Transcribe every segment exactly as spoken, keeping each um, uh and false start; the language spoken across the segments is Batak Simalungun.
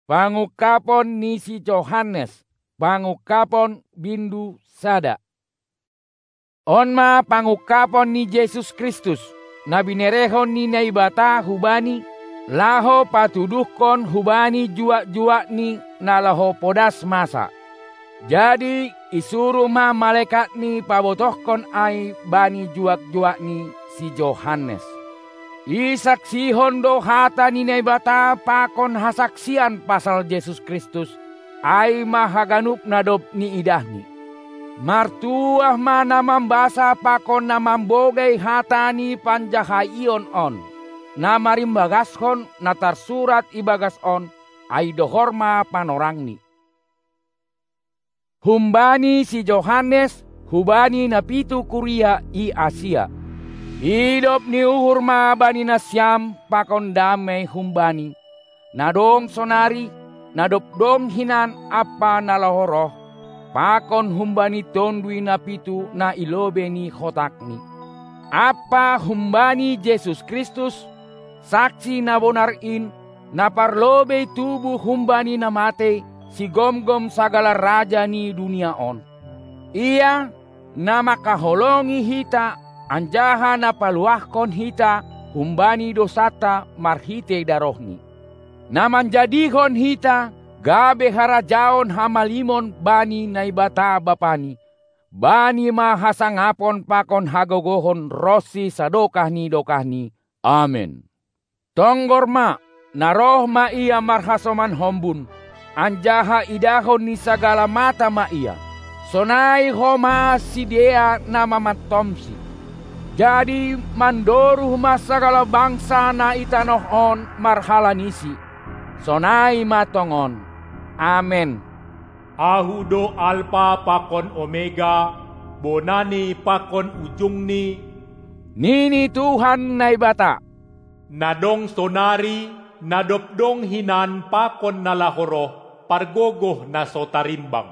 Pangungkapon ni si Johannes, pangungkapon bindu sada. On ma pangungkapon ni Jesus Kristus, na binerehon ni Naibata hu Bani, laho patuduhkon hu Bani juak-juakni na laho podas masa. Jadi isuruh ma malaekatni pabotohkon ai bani juak-juakni si Johannes. Isaksihon do hata ni Naibata pakon hasaksian pasal Jesus Kristus, ai ma haganup na dob niidahni. Martuah ma na mambasa pakon na mambogei hata ni panjahaion on, na marimbagashon na tarsurat ibagas on, ai dohor ma panorangni. Humbani si Johannes, hubani na pitu kuria i Asia. Idop ni uhur ma bani nasiam pakon damei humbani, na dong sonari, na dob dong hinan ampa na laho roh, pakon humbani tondui na pitu na i lobei ni hotakni. Ampa humbani Jesus Kristus, saksi na bonar in, na parlobei tubuh humbani na matei, sigomgom sagala raja ni dunia on. Ia, na mangkaholongi hita, anjaha na paluahkon hita humbani dousanta marhitei darohni. Na manjadihon hita gabe harajaon hamalimon bani Naibata Bapani, Bani ma hasangapon pakon hagogohon ronsi sadokah ni dokahni. Amen. Tonggor ma, na roh ma ia marhasoman hombun, anjaha idahon ni sagala mata ma ia. Sonai ho ma sidea na mamantomsi. Jadi mandoruh ma sagala bangsa na i tanoh on marhalanisi. Sonai ma tongon. Amen. Ahu do Alpa pakon Omega, bonani pakon ujungni, nini Tuhan Naibata, na dong sonari, na dob dong hinan pakon na laho roh, pargogoh na so tarimbang.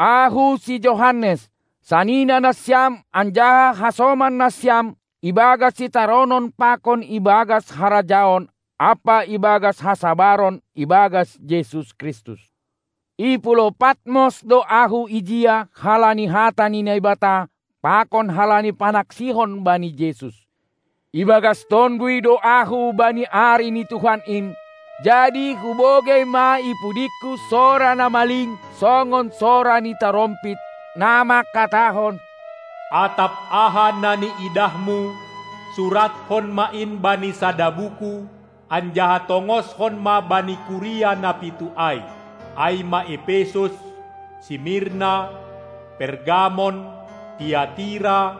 Ahu si Johannes, sanina nasiam anjaha hasoman nasiam ibagas sitaronon pakon ibagas harajaon ampa ibagas hasabaron ibagas Jesus Kristus. I Pulo Patmos do ahu ijia halani hata ni Naibata pakon halani panaksihon bani Jesus. Ibagas tonduy do ahu bani ari ni Tuhan in, jadi hubogei ma i pudingku sora na maling songon sora ni tarompit, na mangkatahon: Atap aha na niidahmu, surathon ma in bani sada buku, anjaha tongoshon ma bani kuria na pitu ai, ai ma Epesus, Simirna, Pergamon, Tiatira,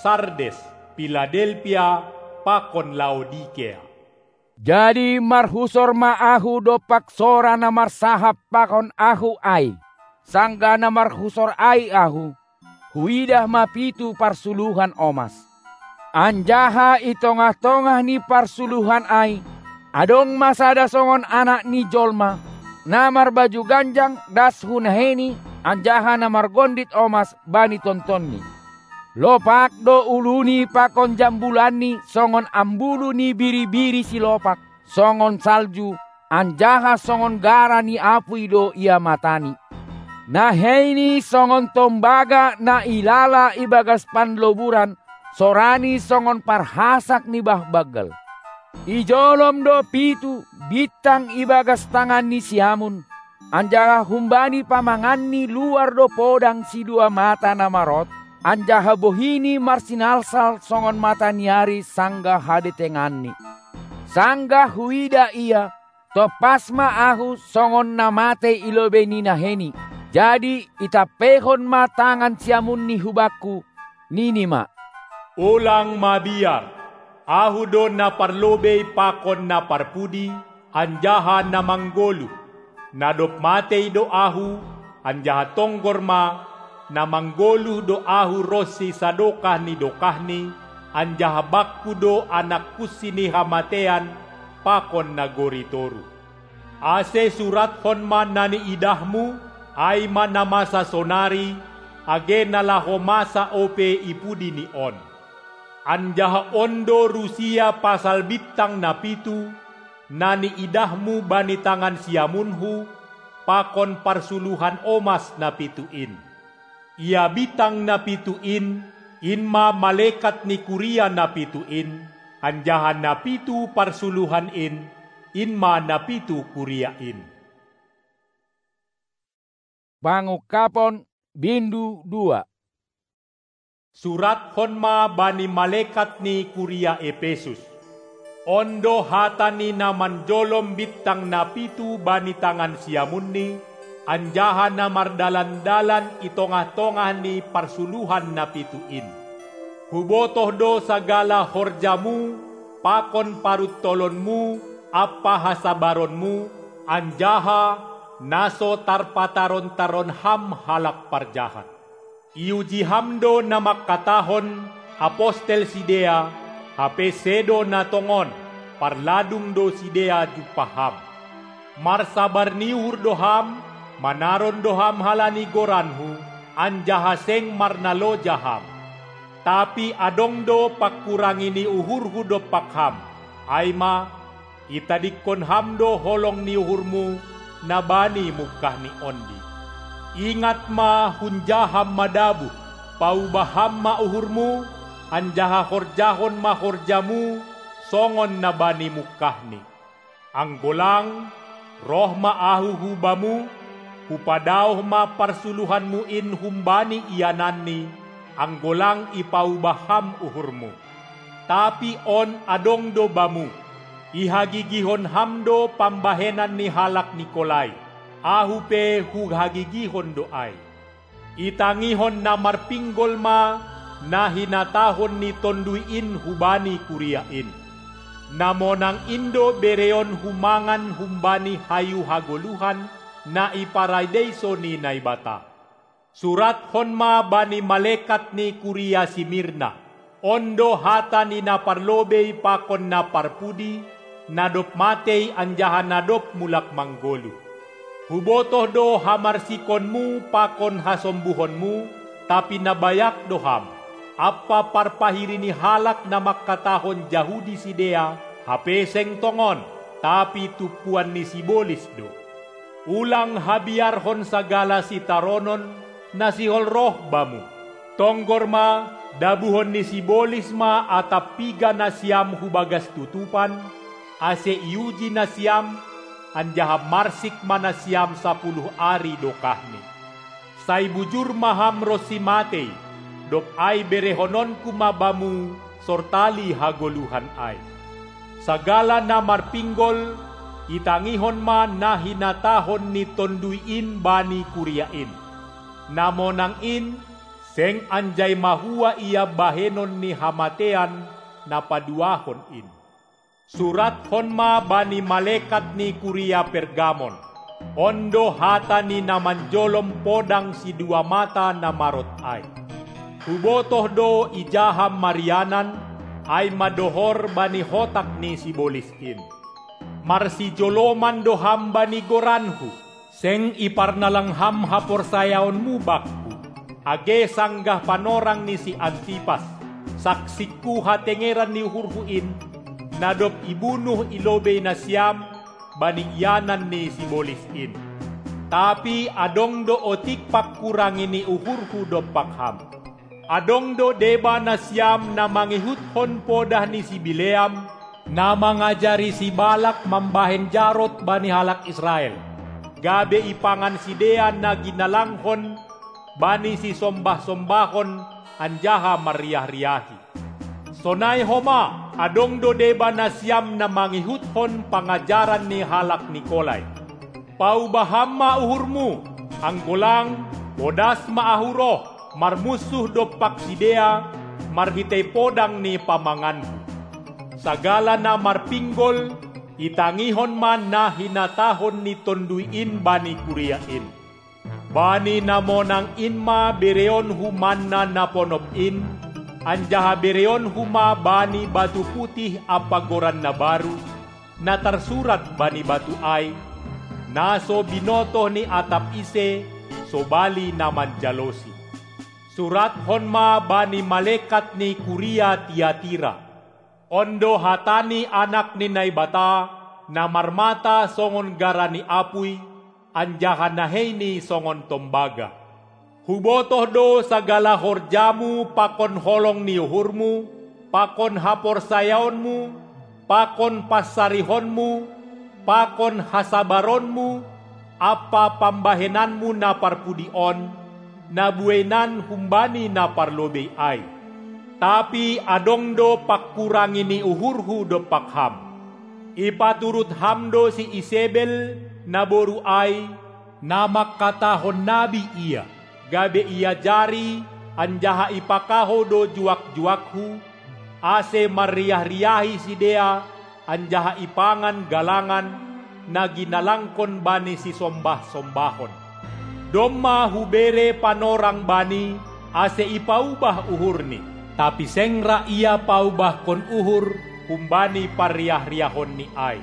Sardes, Piladelpia, pakon Laodikea. Jadi marhusor ma ahu dompak sora na marsahap pakon ahu ai. Sanggah na marhusor ai ahu, huidah ma pitu parsuluhan omas. Anjaha i tongah-tongah ni parsuluhan ai, adong ma sada songon Anak ni jolma, na marbaju ganjang das hu naheiNi, anjaha na margondit omas bani tontonni. Lopak do uluni pakon jambulanni songon ambulu ni biri-biri silopak, songon salju, anjaha songon gara ni apui do ia matani. NaheiNi songon tombaga na ilala ibagas panloburan, soraNi songon parhasak ni bah banggal. Ijolom do pitu bintang ibagas tangan ni siamun, anjaha humbani pamanganni luar do podang sidua mata na marot, anjaha bohiNi marsinalsal songon mata ni ari sanggah hadetenganni. Sanggah huida ia, tompas ma ahu songon na matei i lobei ni naheiNi. Jadi itampeihon ma tangan siamunni hubakku, nini ma: Ulang mabiar! Ahu do na parlobei pakon na parpudi, anjaha na manggoluh. Na dob matei do ahu, anjaha tonggor ma, na manggoluh do ahu ronsi sadokah ni dokahni, anjaha bakku do anak kunsi ni hamatean pakon nagori toruh. Ase surathon ma na niidahmu, ai ma na masa sonari, age na laho masa ope i pudini on. Anjaha on do rusia pasal bintang na pitu, na niidahmu bani tangan siamunhu, pakon parsuluhan omas na pitu in. Ia bitang na pitu in, in ma malekat ni kuria na pitu in, anjaha na pitu parsuluhan in, in ma na pitu kuria in. Pangungkapon, bindu dua. Surathon ma bani malekat ni kuria Epesus: On do hata ni na manjolom bintang na pitu bani tangan siamunni, anjaha na mardalan-dalan i tongah-tongah ni parsuluhan na pitu in. Hubotoh do sagala horjamu, pakon paruntolonmu ampa hasabaronmu, anjaha na so tarpataron-taron ham halak parjahat. Iuji ham do na mangkatahon apostel sidea, hape sedo na tongon, parladung do sidea jumpah ham. Marsabar ni uhur do ham, manaron do ham halani goranhu, anjaha seng marnaloja ham. Tapi adong do pangkurangi ni uhurhu dompak ham, ai ma, itadingkon ham do holong ni uhurmu na bani mungkah ni ondi. Ingat ma, hunja ham madabuh, paubah ham ma uhurmu, anjaha horjahon ma horjamu songon na bani mungkahni. Anggo lang, roh ma ahu hu bamu, hupadaoh ma parsuluhanmu in humbani iananni, anggo lang ipaubah ham uhurmu. Tapi on adong do bamu, ihagigihon ham do pambahenan ni halak Nikolai, ahu pe huhagigihon do ai. Itangihon na marpinggol ma na hinatahon ni Tonduy in hubani kuria in. Na monang in do bereonhu mangan humbani hayu hagoluhan na i paradeiso ni Naibata. Surathon ma bani malekat ni kuria Simirna: On do hata ni na parlobei pakon na parpudi, na dob matei anjaha na dob mulak manggoluh. Hubotoh do hamarsikonmu pakon hasombuhonmu, tapi na bayak do ham, ampa parpahiri ni halak na mangkatahon Jahudi sidea, hape seng tongon, tapi tumpuan ni sibolis do. Ulang habiarhon sagala sitaronon na sihol roh bamu. Tonggor ma, dabuhon ni sibolis ma atap piga nasiam hu bagas tutupan, ase iuji nasiam, anjaha marsik ma nasiam sapuluh ari dokahni. Sai bujur ma ham ronsi matei, dob ai berehononku ma bamu sortali hagoluhan ai. Sagala na marpinggol, itangihon ma na hinatahon ni Tonduy in bani kuria in. Na monang in, seng anjai mahua ia bahenon ni hamatean na paduahon in. Surathon ma bani malekat ni kuria Pergamon: On do hata ni na manjolom podang sidua mata na marot ai. Hubotoh do ija ham marianan, ai ma dohor bani hotak ni sibolis in. Marsijoloman do ham bani goranhu, seng iparnalang ham haporsayaonmu bakku, age sanggah panorang ni si Antipas, saksingku hatengeran ni uhurhu in, na dob ibunuh i lobei nasiam bani ianan ni sibolis in. Tapi adong do otik pangkurangi ni uhurhu dompak ham. Adong do deba nasiam na mangihuthon podah ni si Bileam, na mangajari si Balak mambahen jarot bani halak Israel, gabe ipangan sidea na ginalanghon bani sisombah-sombahon anjaha marriah-riahi. Sonai homa, adong do deba nasiam na mangihuthon pangajaran ni halak Nikolai. Paubah ham ma uhurmu, anggo lang, podas ma ahu roh, marmunsuh dompak sidea, marhitei podang ni pamanganku. Sagala na marpinggol, itangihon ma na hinatahon ni Tonduy in bani kuria in. Bani na monang in ma bereonhu manna na ponop in, anjaha bereonhu ma bani batu putih ampa goran na baru, na tarsurat bani batu ai, na so binotoh ni atap ise, sobali na manjalosi. Surathon ma bani malekat ni kuria Tiatira: On do hata ni Anak ni Naibata, na marmata songon gara ni apuy, anjaha naheini songon tombaga. Hubotoh do sagala horjamu pakon holong ni uhurmu, pakon haporsayaonmu, pakon pansarihonmu, pakon hasabaronmu, ampa pambahenanmu na parpudi on, na bueinan humbani na parlobei ai. Tapi adong do pangkurangi ni uhurhu dompak ham. Ipaturut ham do si Isebel, naboru ai, na mangkatahon nabi ia, gabe iajari, anjaha ipakahou do juak-juakhu, ase marriah-riahi sidea, anjaha ipangan galangan, na ginalangkon bani sisombah-sombahon. Domma hubere panorang bani, ase ipaubah uhurni, tapi seng ra ia paubahkon uhur humbani parriah-riahonni ai.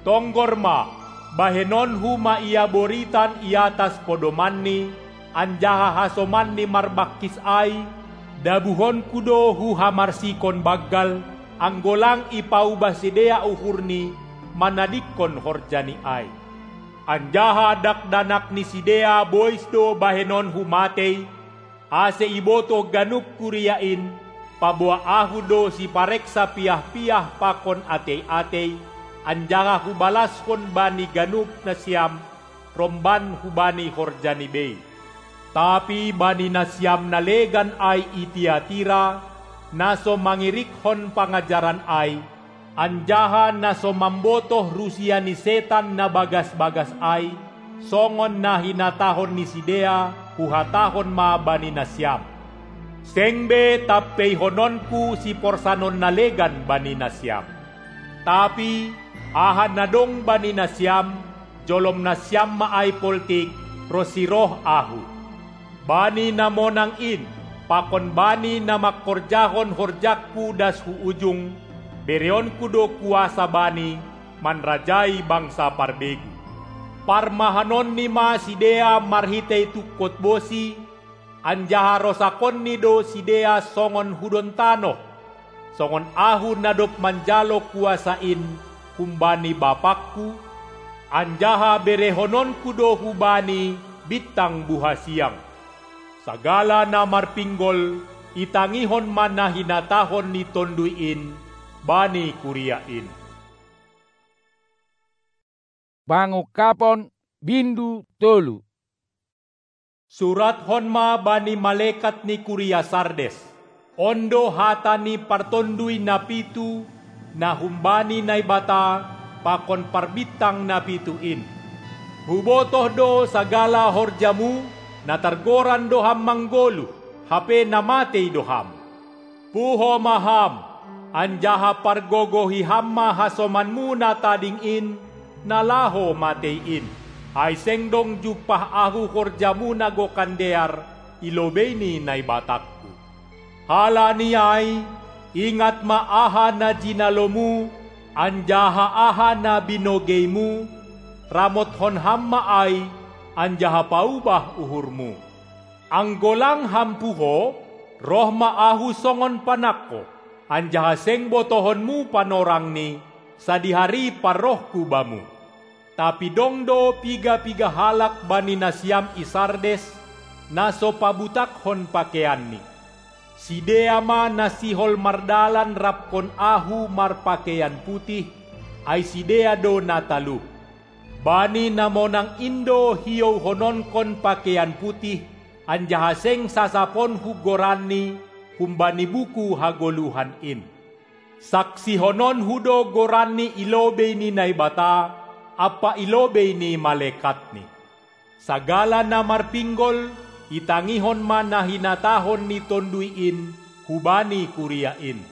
Tonggor ma, bahenonhu ma ia boritan i atas podomanni, anjaha hasomanni marbangkis ai, dabuhonku do huhamarsikon banggal, anggo lang ipaubah sidea uhurni manadingkon horjani ai. Anjaha dakdanak ni sidea bois do bahenonhu matei, ase ibotoh ganup kuria in, paboa ahu do sipareksa piah-piah pakon atei-atei, anjaha hubalashon bani ganup nasiam, romban hubani horjani bei. Tapi bani nasiam na legan ai i Tiatira, na so mangirikkon pangajaran ai, anjaha na so mambotoh rusia ni setan na bagas-bagas ai, songon na hinatahon ni sidea, huhatahon ma bani nasiam. Seng be tampeihononku siporsanon na legan bani nasiam. Tapi, aha na dong bani nasiam, jolom nasiam ma ai poltik, ronsi roh ahu. Bani na monang in, pakon bani na mangkorjahon horjangku das hu ujung, bereonku do kuasa bani, manrajai bangsa parbegu. Parmahanonni ma sidea marhitei tungkot bosi, anjaha rosakonni do sidea songon hudon tanoh, songon ahu na dob manjalo kuasa in humbani bapakku, anjaha berehononku do hubani bintang buhasiang. Sagala na marpinggol, itangihon ma na hinatahon ni Tonduy in bani kuria in. Pangungkapon, bindu tolu. Surathon ma bani malekat ni kuria Sardes: On do hata ni partonduy na pitu, na humbani Naibata, pakon parbintang na pitu in. Hubotoh do sagala horjamu, na targoran do ham manggoluh, hape na matei do ham. Puho ma ham, anjaha pargogohi ham ma hasomanmu na tading in, na laho matei in, ai seng dong jumpah ahu horjamu na gokan dear i lobei ni Naibatangku. Halani ai, ingat ma aha na jinalomu, anjaha aha na binogeimu, ramothon ham ma ai, anjaha paubah uhurmu. Anggo lang ham puho, roh ma ahu songon panangko, anjaha seng botohonmu panorangni, sadihari parrohku bamu. Tapi dong do piga-piga halak bani nasiam i Sardes, na so pabutakhon pakeianni. Sidea ma na sihol mardalan rapkon ahu marpakeian putih, ai sidea do na talup. Bani na monang in do hiouhononkon pakeian putih, anjaha seng sasaponhu goranni humbani buku hagoluhan in. Saksihononhu do goranni i lobei ni Naibata, ampa i lobei ni malekatni. Sagala na marpinggol, itangihon ma na hinatahon ni Tonduy in hubani kuria in.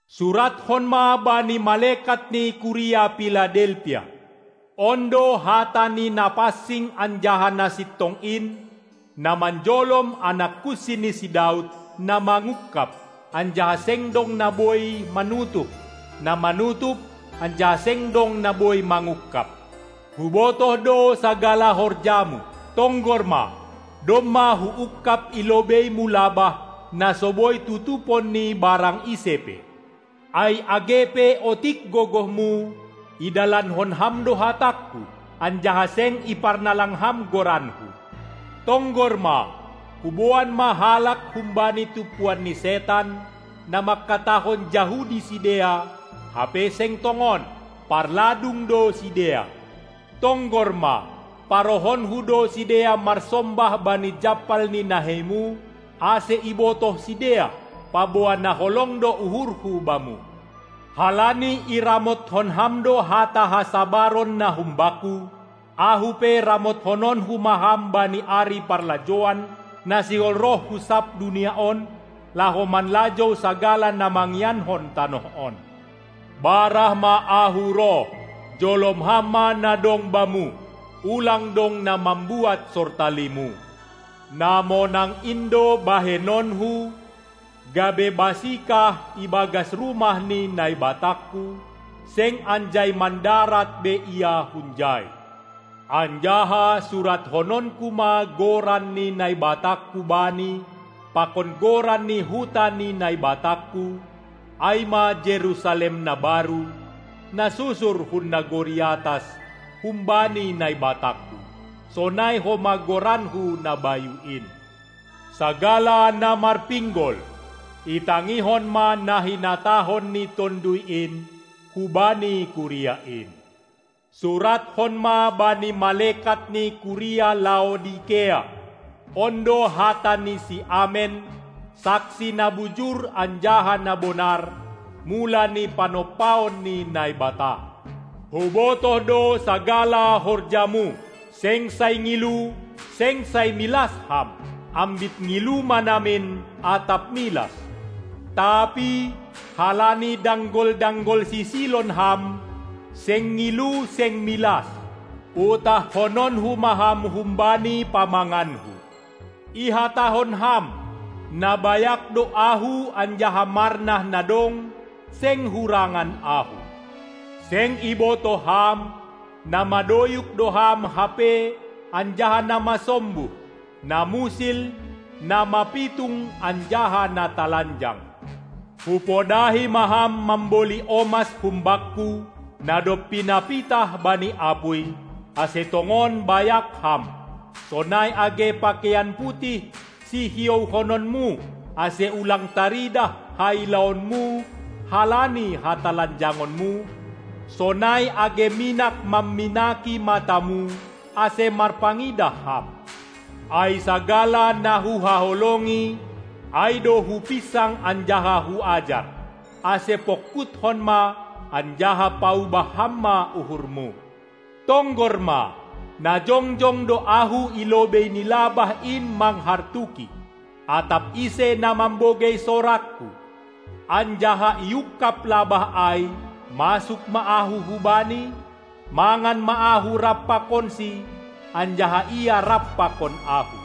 Surathon ma bani malekat ni kuria Piladelpia: On do hata ni na pansing anjaha na sintong in, na manjolom anak kunsi ni si Daud, na mangungkap, anjaha seng dong na boi manutup, na manutup, anjaha seng dong na boi mangungkap. Hubotoh do sagala horjamu, tonggor ma, domma huungkap i lobeimu labah, na so boi tutupon ni barang ise pe. Ai age pe otik gogohmu, idalankon ham do hatangku, anjaha seng iparnalang ham goranku. Tonggor ma, huboan ma halak humbani tumpuan ni setan, na mangkatahon Jahudi sidea, hape seng tongon, parladung do sidea. Tonggor ma, parohonku do sidea marsombah bani jampal ni naheimu, ase ibotoh sidea, paboa na holong do uhurhu bamu. Halani iramotkon ham do hata hasabaron na humbakku, ahu pe ramothononku ma ham bani ari parlajouan, na sihol roh hu sab dunia on, laho manlajou sagala na mangiankon tanoh on. Barah ma ahu roh, jolom ham ma na dong bamu, ulang dong na mambuat sortalimu. Na monang in do bahenonku, gabe basikah ibagas rumah ni Naibatangku, seng anjai mandarat be ia hunjai. Anjaha surathononku ma goran ni Naibatangku bani, pakon goran ni huta ni Naibatangku, ai ma Jerusalem na baru, na susur hun nagori atas, humbani Naibatangku. Sonai homa goranku na bayu in. Sagala na marpinggol, itangihon ma na hinatahon ni Tonduy in hubani kuria in. Surathon ma bani malekat ni kuria Laodikea: On do hata ni si Amen, saksi na bujur anjaha na bonar, mula ni panompaon ni Naibata. Hubotoh do sagala horjamu, seng sai ngilu, seng sai milas ham, ambit ngilu ma namin atap milas. Tapi halani danggol-danggol sisilon ham, seng ngilu seng milas, utahhononku ma ham humbani pamanganku. Ihatahon ham: Na bayak do ahu anjaha marnah na dong, seng hurangan ahu. Seng ibotoh ham, na madoyuk do ham hape anjaha na masombuh, na musil, na mapitung anjaha na talanjang. Hupodahi ma ham mamboli omas humbakku, na dob pinapitah bani apuy, ase tongon bayak ham. Sonai age pakeian putih sihiouhononmu, ase ulang taridah hailaonmu halani hatalanjangonmu, sonai age minak mamminaki matamu, ase marpangidah ham. Ai sagala na huhaholongi, ai do hupinsang anjaha huajar, ase pongkuthon ma anjaha paubah ham ma uhurmu. Tonggor ma, na jongjong do ahu i lobei ni labah in manghartuki, atap ise na mambogei sorangku. Anjaha iungkab labah ai, masuk ma ahu hubani, mangan ma ahu rap pakonsi, anjaha ia rap pakon ahu.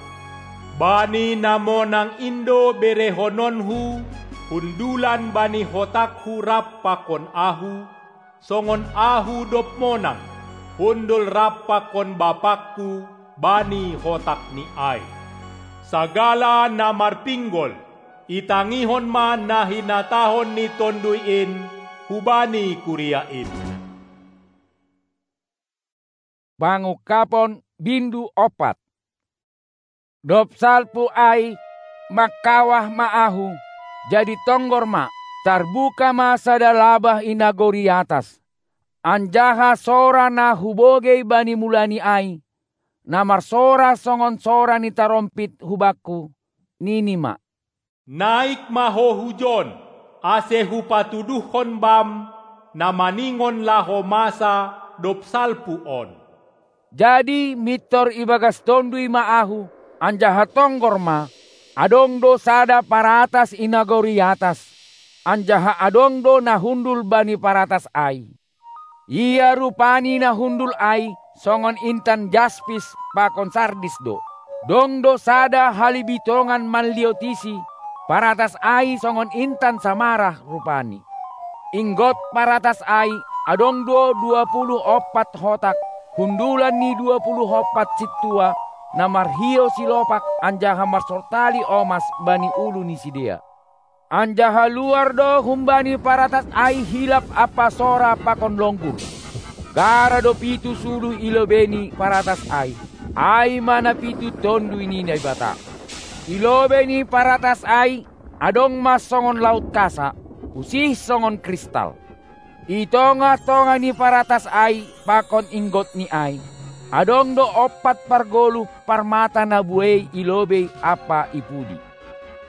Bani na monang in do berehononku hundulan bani hotangku rap pakon ahu, songon ahu dob monang, hundul rap pakon bapangku bani hotangni ai. Sagala na marpinggol, itangihon ma na hinatahon ni Tonduy in hubani kuria in. Pangungkapon, bindu ompat. Dob salpu ai, mangkawah ma ahu, jadi tonggor ma, tarbuka ma sada labah i nagori atas. Anjaha sora na hubogei bani mulani ai, na marsora songon sora ni tarompit hubakku, nini ma: Naik ma ho hujon, ase hupatuduhkon bam na maningon laho masa dob salpu on. Jadi mintor ibagas Tonduy ma ahu, anjaha tonggor ma, adong do sada paratas i nagori atas, anjaha adong do na hundul bani paratas ai. Ia rupani na hundul ai songon intan jaspis pakon sardis do. Dong do sada halibitongan manliotisi, paratas ai songon intan samarah rupani. Inggot paratas ai, adong do dua puluh ompat hotak, hundulan ni dua puluh ompat sintua, na marhiou silopak anjaha marsortali omas bani ulu ni sidea. Anjaha luar do humbani paratas ai hilap ampa sora pakon longgur. Gara do pitu suluh i lobei ni paratas ai, ai ma na pitu Tonduy ni Naibata. I lobei ni paratas ai adong ma songon laut kasa, usih songon kristal. I tongah-tongah ni paratas ai pakon inggot ni ai, adong do ompat pargoluh parmata na buei i lobei ampa i pudi.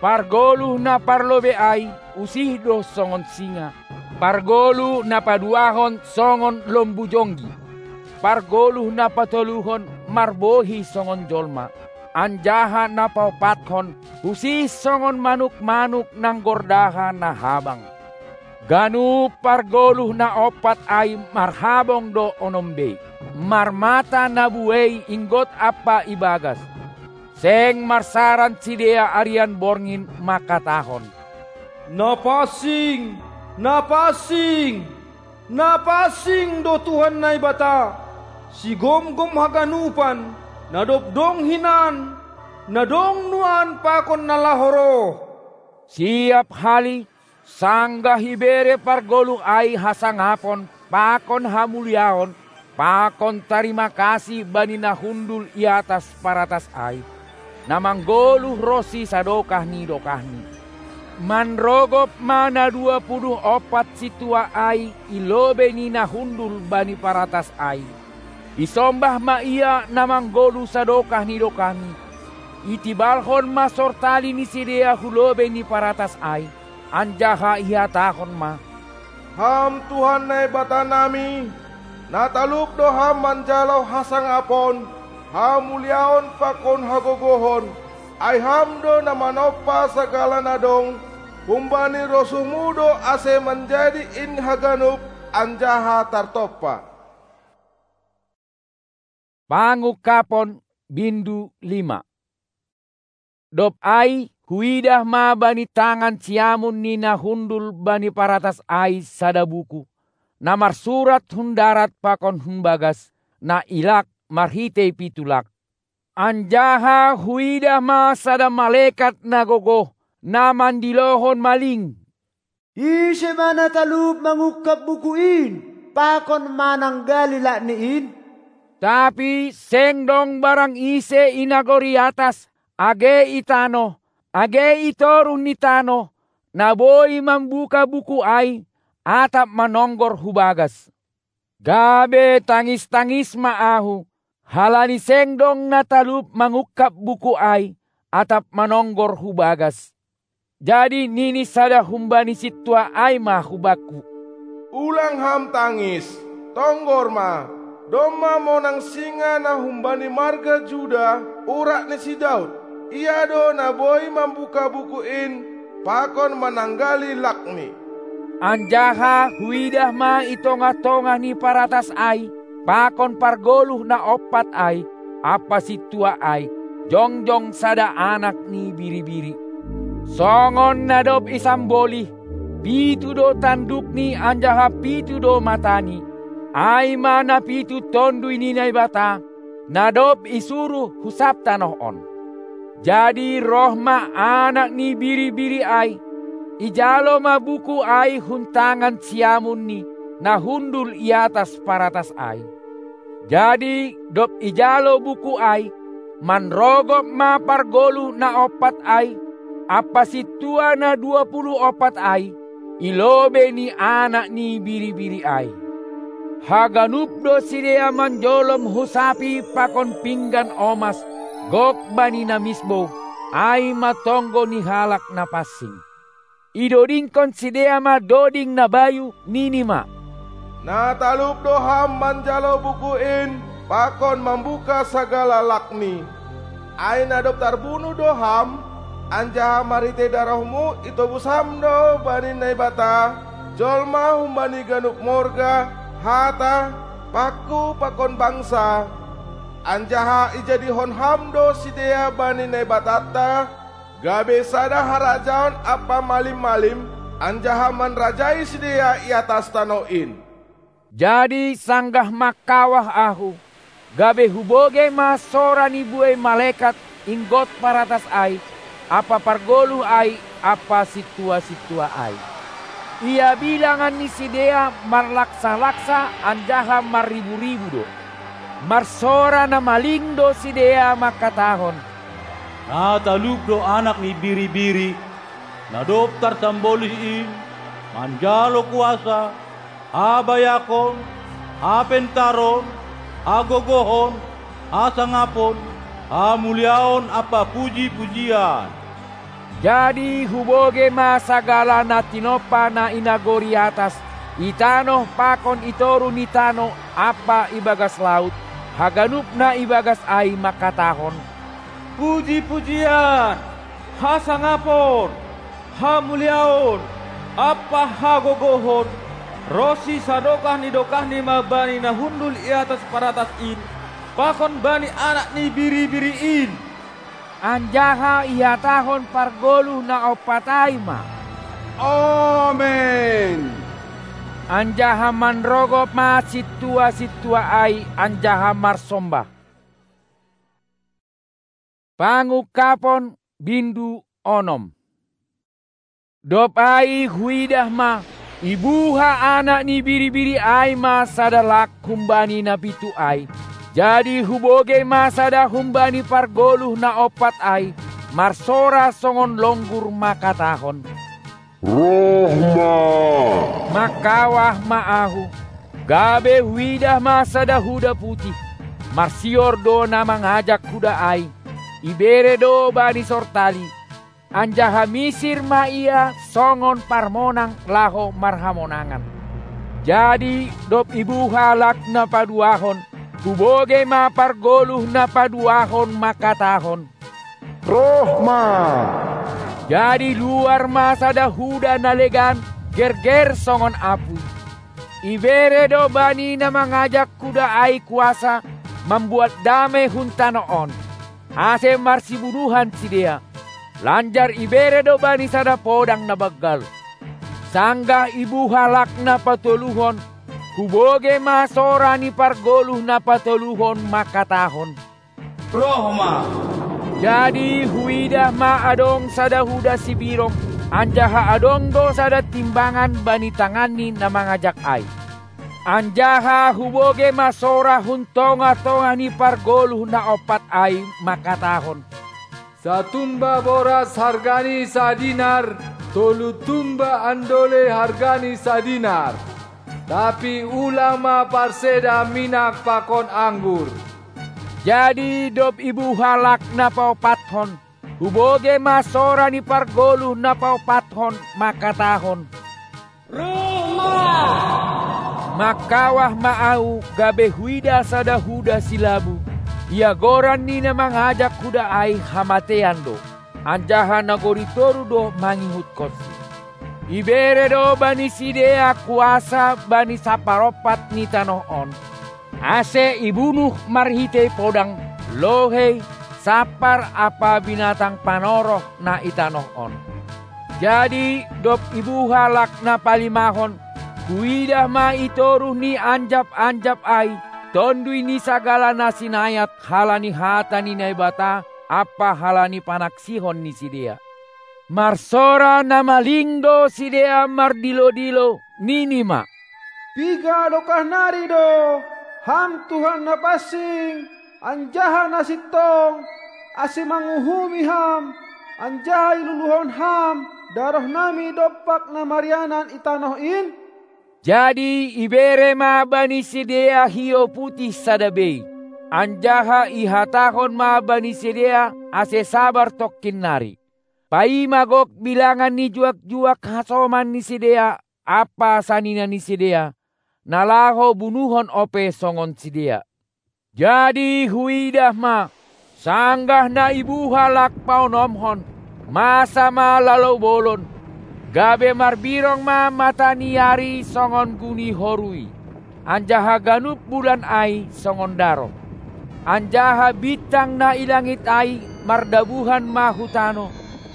Pargoluh na parlobei ai usih do songon singa, pargoluh na paduahon songon lombu jonggi, pargoluh na patoluhon marbohi songon jolma, anjaha na paompathon usih songon manuk-manuk na nggordaha na habang. Ganup pargoluh na ompat ai marhabong do onom bei, marmata na buei inggot ampa ibagas. Seng marsaran sidea arian borngin mangkatahon: Na pansing, na pansing, na pansing do Tuhan Naibata, sigomgom haganupan, na dob dong hinan, na dong nuan pakon na laho roh. Siap hali, sanggah ibere pargoluh ai hasangapon pakon hamuliaon pakon tarima kasih bani na hundul i atas paratas ai, na manggoluh ronsi sadokah ni dokahni. Manrogop ma na dua puluh ompat sintua ai i lobei ni na hundul bani paratas ai. Isombah ma ia na manggoluh sadokah ni dokahni. Itibalhon ma sortali ni sidea hu lobei ni paratas ai, anjaha ihatahon ma: Ham Tuhan Naibatanami, na talup do Ham manjalo hasangapon, hamuliaon pakon hagogohon, ai Ham do na manompa sagala na dong, humbani rosuhMu do ase manjadi in haganup anjaha tartompa. Pangungkapon, bindu lima. Dob ai huidah ma bani tangan siamun ni na hundul bani paratas ai sada buku, na marsurat hun darat pakon hun bagas, na ilak marhitei pitu lak. Anjaha huidah ma sada malekat na gogoh, na mandilohon maling: Ise ma na talup mangungkap buku in, pakon mananggali lakni in? Tapi seng dong barang ise i nagori atas, age i tanoh, age i toruh ni tanoh, na boi mambuka buku ai, atap manonggor hu bagas. Gabe tangis-tangis ma ahu, halani seng dong na talup mangungkap buku ai, atap manonggor hu bagas. Jadi nini sada humbani sintua ai ma hubakku: Ulang ham tangis, tonggor ma, domma monang singa na humbani marga Juda, urat ni si Daud. Ia do na boi mambuka buku in, pakon mananggali lakni. Anjaha huidah ma i tongah-tongah ni paratas ai, pakon pargoluh na ompat ai, ampa sintua ai, jongjong sada Anak ni Biri-biri. Songon na dob isambolih, pitu do tandukni anjaha pitu do matani, ai ma na pitu Tonduy ni Naibata, na dob isuruh hu sab tanoh on. Jadi roh ma Anak ni Biri-biri ai, ijalo ma buku ai hun tangan siamunni, na hundul i atas paratas ai. Jadi dob ijalo buku ai, manrogop ma pargoluh na ompat ai, ampa sintua na dua puluh ompat ai, i lobei ni Anak ni Biri-biri ai. Haganup do sidea manjolom hu sapi pakon pinggan omas, gok bani na misbou, ai ma tonggo ni halak na pansing. Idodingkon sidea ma doding na bayu, nini ma: Na talup do ham manjalo buku in, pakon mambuka sagala lakni. Ai na dob tarbunuh do ham, anjaha marhitei darohmu itobus ham do bani Naibata jolma humbani ganup morga, hata, pangku pakon bangsa, anjaha ijadihon ham do sidea bani Naibatanta, gabe sada harajaon ampa malim-malim, anjaha manrajai sidea i atas tanoh in. Jadi sanggah mangkawah ahu, gabe hubogei ma sora ni buei malekat inggot paratas ai, ampa pargoluh ai ampa sintua-sintua ai. Ia bilangan ni sidea marlaksa-laksa anjaha marribu-ribu do. Marsora na maling do sidea mangkatahon: Na talup do Anak ni Biri-biri, na dob tarsambolih in, manjalo kuasa, habayakon, hapentaron, hagogohon, hasangapon, hamuliaon ampa puji-pujian. Jadi hubogei ma sagala na tinompa na i nagori atas, i tanoh pakon i toruh ni tanoh ampa ibagas laut, haganup na ibagas ai mangkatahon: Puji-pujian, hasangapon, hamuliaon, ampa hagogohon, ronsi sadokah ni dokahni ma bani na hundul i atas paratas in, pakon bani Anak ni Biri-biri in. Anjaha ihatahon pargoluh na ompat ai ma: Amen! Anjaha manrogop ma sintua-sintua ai anjaha marsombah. Pangungkapon, bindu onom. Dob ai huidah ma, ibuha Anak ni Biri-biri ai ma sada lak humbani na pitu ai. Jadi hubogei ma sada humbani pargoluh na ompat ai, marsora songon longgur mangkatahon: Roh ma! Mangkawah ma ahu, gabe huidah ma sada huda putih, marsior do na mangajak huda ai, ibere do bani sortali, anjaha misir ma ia songon parmonang laho marhamonangan. Jadi dob ibuha lak na paduahon, hubogei ma pargoluh na paduahon mangkatahon: Roh ma! Jadi luar ma sada huda na legan, gerger songon apuy. Ibere do bani na mangajak huda ai kuasa mambuat dame hun tanoh on, ase marsibunuhan sidea, lanjar ibere do bani sada podang na banggal. Sanggah ibuha lak na patoluhon, hubogei ma sora ni pargoluh na patoluhon mangkatahon: Roh ma! Jadi huidah ma adong sada huda sibirong, anjaha adong do sada timbangan bani tanganni na mangajak ai. Anjaha hubogei ma sora hun tongah-tongah ni pargoluh na ompat ai mangkatahon: Satumba boras hargani sadinar, tolu tumba andole hargani sadinar. Tapi ulang ma parseda minak pakon anggur. Jadi dob ibuha lak na paompathon, hubogei ma sora ni pargoluh na paompathon mangkatahon: Roh ma! Mangkawah ma ahu, gabe huida sada huda silabu, ia goran ni na mangajak huda ai Hamatean do, anjaha nagori toruh do mangihutkonsi. Ibere do bani sidea kuasa bani saparompat ni tanoh on, ase ibunuh marhitei podang, lohei, sampar ampa binatang panoroh na i tanoh on. Jadi dob ibuha lak na palimahon, huidah ma i toruh ni anjap-anjap ai, tonduy ni sagala na sinayat halani hata ni Naibata ampa halani panaksihon ni sidea. Marsora na maling do sidea mardilo-dilo, nini ma: Piga dokah nari do, Ham Tuhan na pansing, anjaha na sintong, ase manguhumi Ham, anjaha iluluhon Ham darohnami dompak na marianan i tanoh in? Jadi ibere ma bani sidea hiou putih sada bei, anjaha ihatahon ma bani sidea ase sabar tongkin nari. Paima gok bilangan ni juak-juak hasoman ni sidea ampa sanina ni sidea, na laho bunuhon ope songon sidea. Jadi huidah ma, sanggah na ibuha lak paonomhon, masa ma lalou bolon, gabe marbirong ma mata ni ari songon guni horui, anjaha ganup bulan ai songon daroh. Anjaha bintang na i langit ai mardabuhan ma hu tanoh,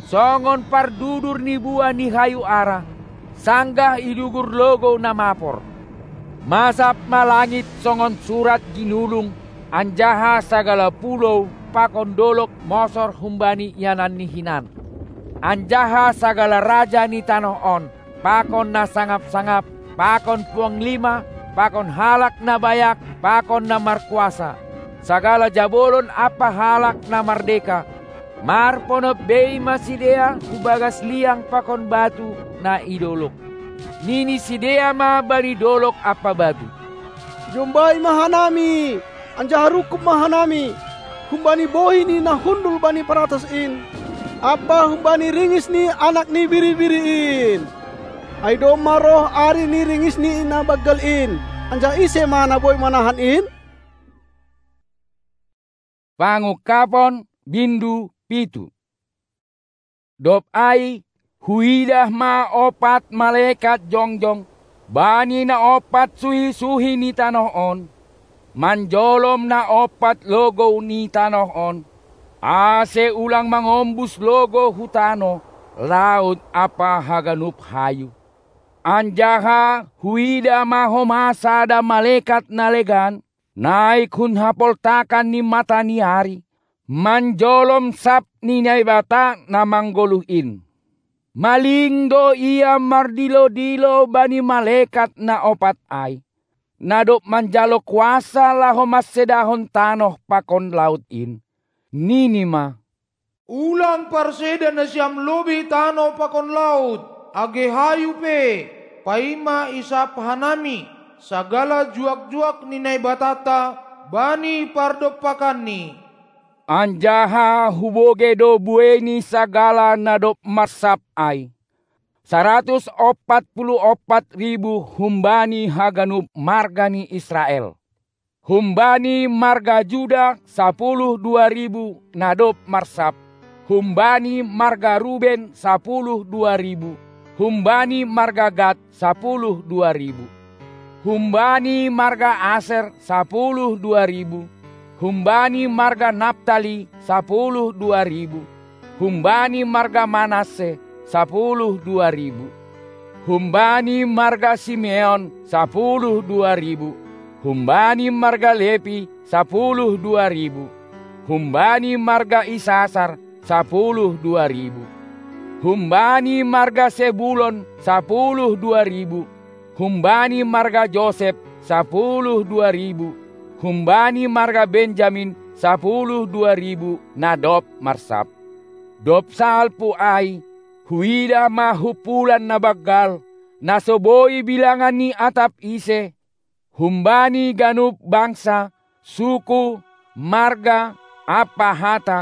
songon pardudur ni buah ni hayu ara, sanggah idugur logou na mapor. Masap ma langit songon surat jinulung, anjaha sagala pulou pakon dolog mosor humbani iananni hinan. anjaha sagala raja ni tanoh on, pakon na sangap-sangap, pakon puanglima, pakon halak na bayak, pakon na markuasa, sagala jabolon ampa halak na mardeka, marponop bei ma sidea hu bagas liang pakon batu na i dolog. Nini sidea ma bani dolog ampa batu: Jombai ma hanami, anjaha rungkub ma hanami, humbani bohi ni na hundul bani paratas in, ampa humbani ringis ni Anak ni Biri-biri in. Ai domma roh ari ni ringis ni na banggal in, anjaha ise ma na boi manahan in? Pangungkapon, bindu pitu. Dob ai, huidah ma ompat malekat jongjong bani na ompat suhi-suhi ni tanoh on, manjolom na ompat logou ni tanoh on, ase ulang mangombus logou hu tanoh, laut ampa haganup hayu. Anjaha huidah ma homa sada malekat na legan, naik hun hapoltakan ni mata ni ari, manjolom sab ni Naibata na manggoluh in. Maling do ia mardilo-dilo bani malekat na ompat ai, na dob manjalo kuasa laho mansedahon tanoh pakon laut in. Nini ma: Ulang parseda nasiam lobei tanoh pakon laut, age hayu pe, paima isap hanami sagala juak-juak ni Naibatanta bani pardompakanni. Anjaha hubogei do buei ni sagala na dob marsap ai: saratus ompat puluh ompat ribu humbani haganup marga ni Israel. Humbani marga Juda sapuluh dua ribu na dob marsap, humbani marga Ruben sapuluh dua ribu, humbani marga Gad sapuluh dua ribu, humbani marga Aser sapuluh dua ribu, humbani marga Naptali sapuluh dua ribu, humbani marga Manasse sapuluh dua ribu, humbani marga Simeon sapuluh dua ribu, humbani marga Lepi sapuluh dua ribu, humbani marga Isasar sapuluh dua ribu, humbani marga Sebulon sapuluh dua ribu, humbani marga Josep sapuluh dua ribu, humbani marga Benjamin sapuluh dua ribu na dob marsap. Dob salpu ai, huidah ma humpulan na banggal, na so boi bilangan ni atap ise, humbani ganup bangsa, suku, marga, ampa hata,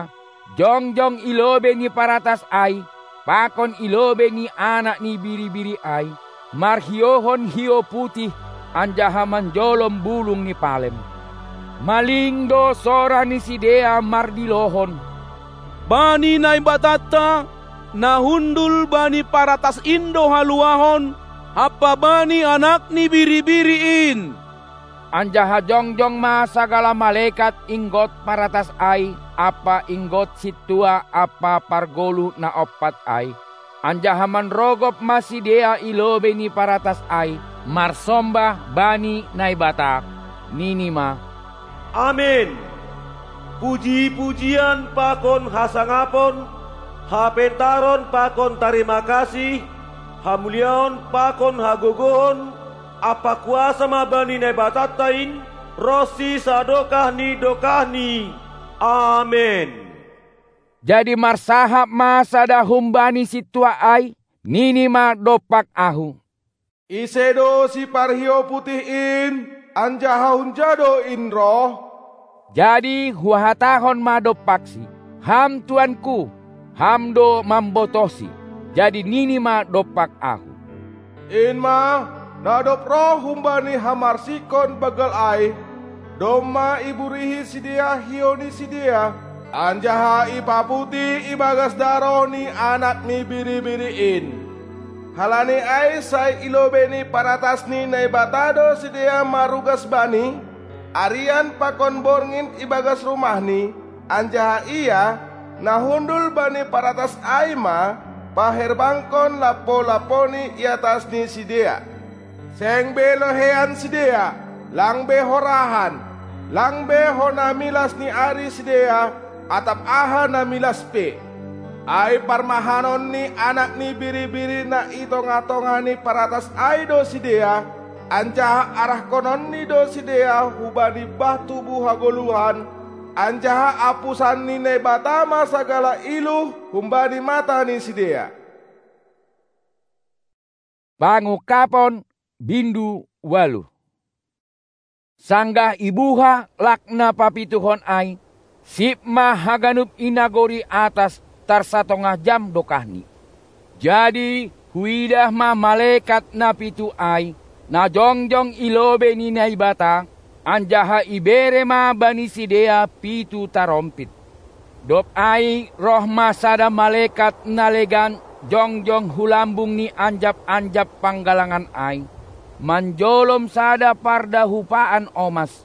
jongjong i lobei ni paratas ai, pakon i lobei ni Anak ni Biri-biri ai, marhiouhon hiou putih, anjaha manjolom bulung ni palem. Maling do sora ni sidea mardilohon: Bani Naibatanta, na hundul bani paratas in do haluahon, ampa bani Anak ni Biri-biri in! Anjaha jongjong ma sagala malekat inggot paratas ai ampa inggot sintua ampa pargoluh na ompat ai, anjaha manrogop ma sidea i lobei ni paratas ai, marsombah bani Naibata, nini ma: Amen! Puji-pujian pakon hasangapon, hapentaron pakon tarima kasih, hamuliaon pakon hagogohon, ampa kuasa ma bani Naibatanta in, ronsi sadokah ni dokahni. Amen. Jadi marsahap ma sada humbani sintua ai, nini ma dompak ahu: Ise do siparhiou putih in, anjaha hunja do in roh? Jadi huhatahon ma dompaksi: Ham tuanku, ham do mambotohsi. Jadi nini ma dompak ahu: In ma, na dob roh humbani hamarsikon banggal ai, domma iburihi sidea hiou ni sidea, anjaha ipaputih ibagas daroh ni Anak ni Biri-biri in. Halani ai sai i lobei ni paratas ni Naibata do sidea marugas Bani, arian pakon borngin ibagas rumahni, anjaha Ia, na hundul bani paratas ai ma paherbangkon lampo-lamponi i atas ni sidea. Seng be loheian sidea, lang be horahan, lang be hona milas ni ari sidea, atap aha na milas pe. Ai parmahanon ni Anak ni Biri-biri na i tongah-tongah ni paratas ai do sidea, anjaha arahkononni do sidea hubani bah tubu hagoluhan, anjaha apusan ni Naibata ma sagala iluh humbani mata ni sidea. Pangungkapon, bindu ualuh. Sanggah ibuha lak na papituhon ai, sip ma haganup i nagori atas tarsatongah jam dokahni. Jadi huidah ma malekat na pitu ai, na jongjong i lobei ni Naibata, anjaha ibere ma bani sidea pitu tarompit. Dob ai roh ma sada malekat na legan jongjong hu lambung ni anjap-anjap panggalangan ai, manjolom sada pardahupaan omas.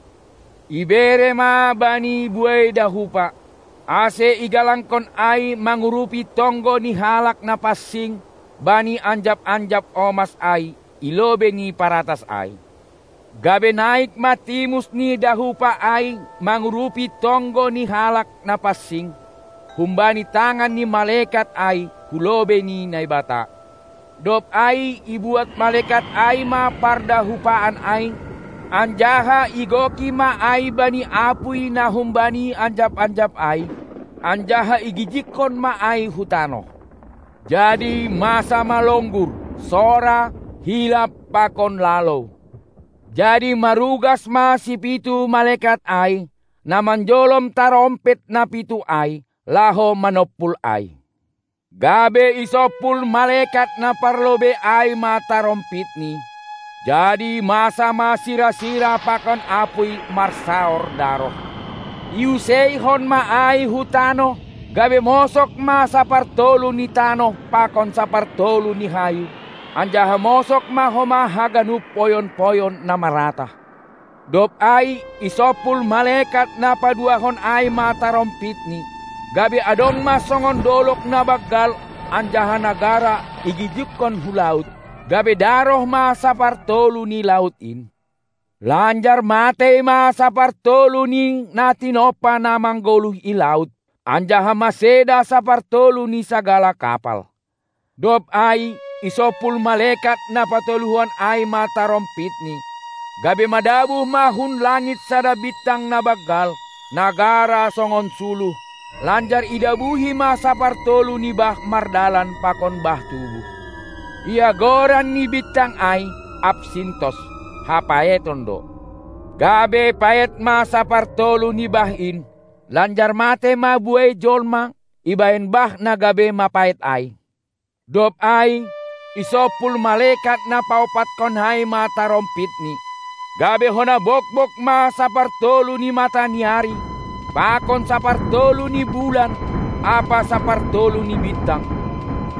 Ibere ma bani buei dahupa, ase igalangkon ai mangurupi tonggo ni halak na pansing bani anjap-anjap omas ai i lobei ni paratas ai. Gabe naik ma timus ni dahupa ai mangurupi tonggo ni halak na pansing, humbani tangan ni malekat ai hu lobei ni Naibata. Dob ai ibuat malekat ai ma pardahupaan ai, anjaha igoki ma ai bani apuy na humbani anjap-anjap ai, anjaha igijikkon ma ai hu tanoh. Jadi masa ma longgur, sora, hilap pakon lalou. Jadi marugas ma sipitu malekat ai, na manjolom tarompit na pitu ai, laho manompul ai. Gabe isompul malekat na parlobei ai ma tarompitni, jadi masa ma sira-sira pakon apuy marsaor daroh. Iuseihon ma ai hu tanoh, gabe mosok ma sapartolu ni tanoh pakon sapartolu ni hayu, anjaha mosok ma homa haganup poyon-poyon na maratah. Dob ai isompul malekat na paduahon ai ma tarompitni, gabe adong ma songon dolok na banggal, anjaha nagara igijikkon hu laut, gabe daroh ma sapartolu ni laut in. Lanjar matei ma sapartolu ni na tinompa na manggoluh i laut, anjaha maseda sapartolu ni sagala kapal. Dob ai isompul malekat na patoluhon ai ma tarompitni, gabe madabuh ma hun langit sada bintang na banggal, na gara songon suluh, lanjar idabuhi ma sapartolu ni bah mardalan pakon bah tubuh. Ia goran ni bintang ai Apsintos, hapaeton do. Gabe paet ma sapartolu ni bah in, lanjar mate ma buei jolma ibahen bah na gabe mapaet ai. Dob ai isompul malekat na paompatkon ai ma tarompitni, gabe hona bokbok ma sapartolu ni mata ni ari, pakon sapartolu ni bulan, ampa sapartolu ni bintang.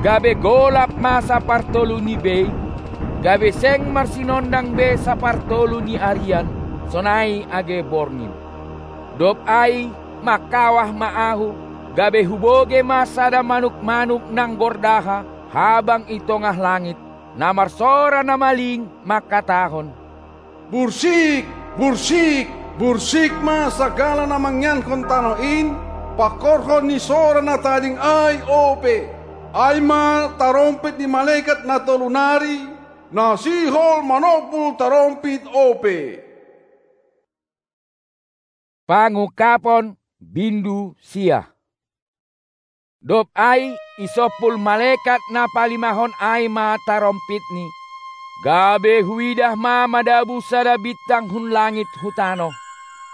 Gabe golap ma sapartolu ni bei, gabe seng marsinondang be sapartolu ni arian, sonai age borngin. Dob ai mangkawah ma ahu, gabe hubogei ma sada manuk-manuk na gordaha habang i tongah langit, na marsora na maling mangkatahon: Bursik, bursik, bursik ma sagala na mangiankon tanoh in, pangkorhon ni sora na tading ai ope. Ai ma tarompit ni malekat na tolu nari, na sihol manompul tarompit ope. Pangungkapon, bindu sia. Dob ai isompul malekat na palimahon ai ma tarompitni, gabe huidah ma madabuh sada bintang hun langit hu tanoh.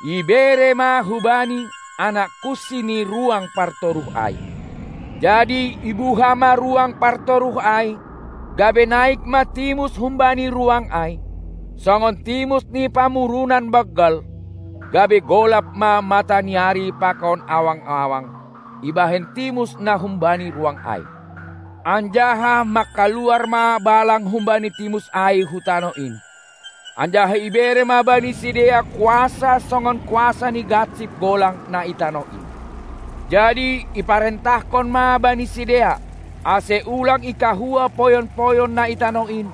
Ibere ma hubani anak kunsi ni ruang partoruh ai. Jadi ibuha ma ruang partoruh ai, gabe naik ma timus humbani ruang ai, songon timus ni pamurunan banggal, gabe golap ma mata ni ari pakon awang-awang ibahen timus na humbani ruang ai. Anjaha mangkaluar ma balang humbani timus ai hu tanoh in. Anjaha ibere ma bani sidea kuasa songon kuasa ni gansip golang na i tanoh in. Jadi iparentahkon ma bani sidea, ase ulang ikahua poyon-poyon na i tanoh in,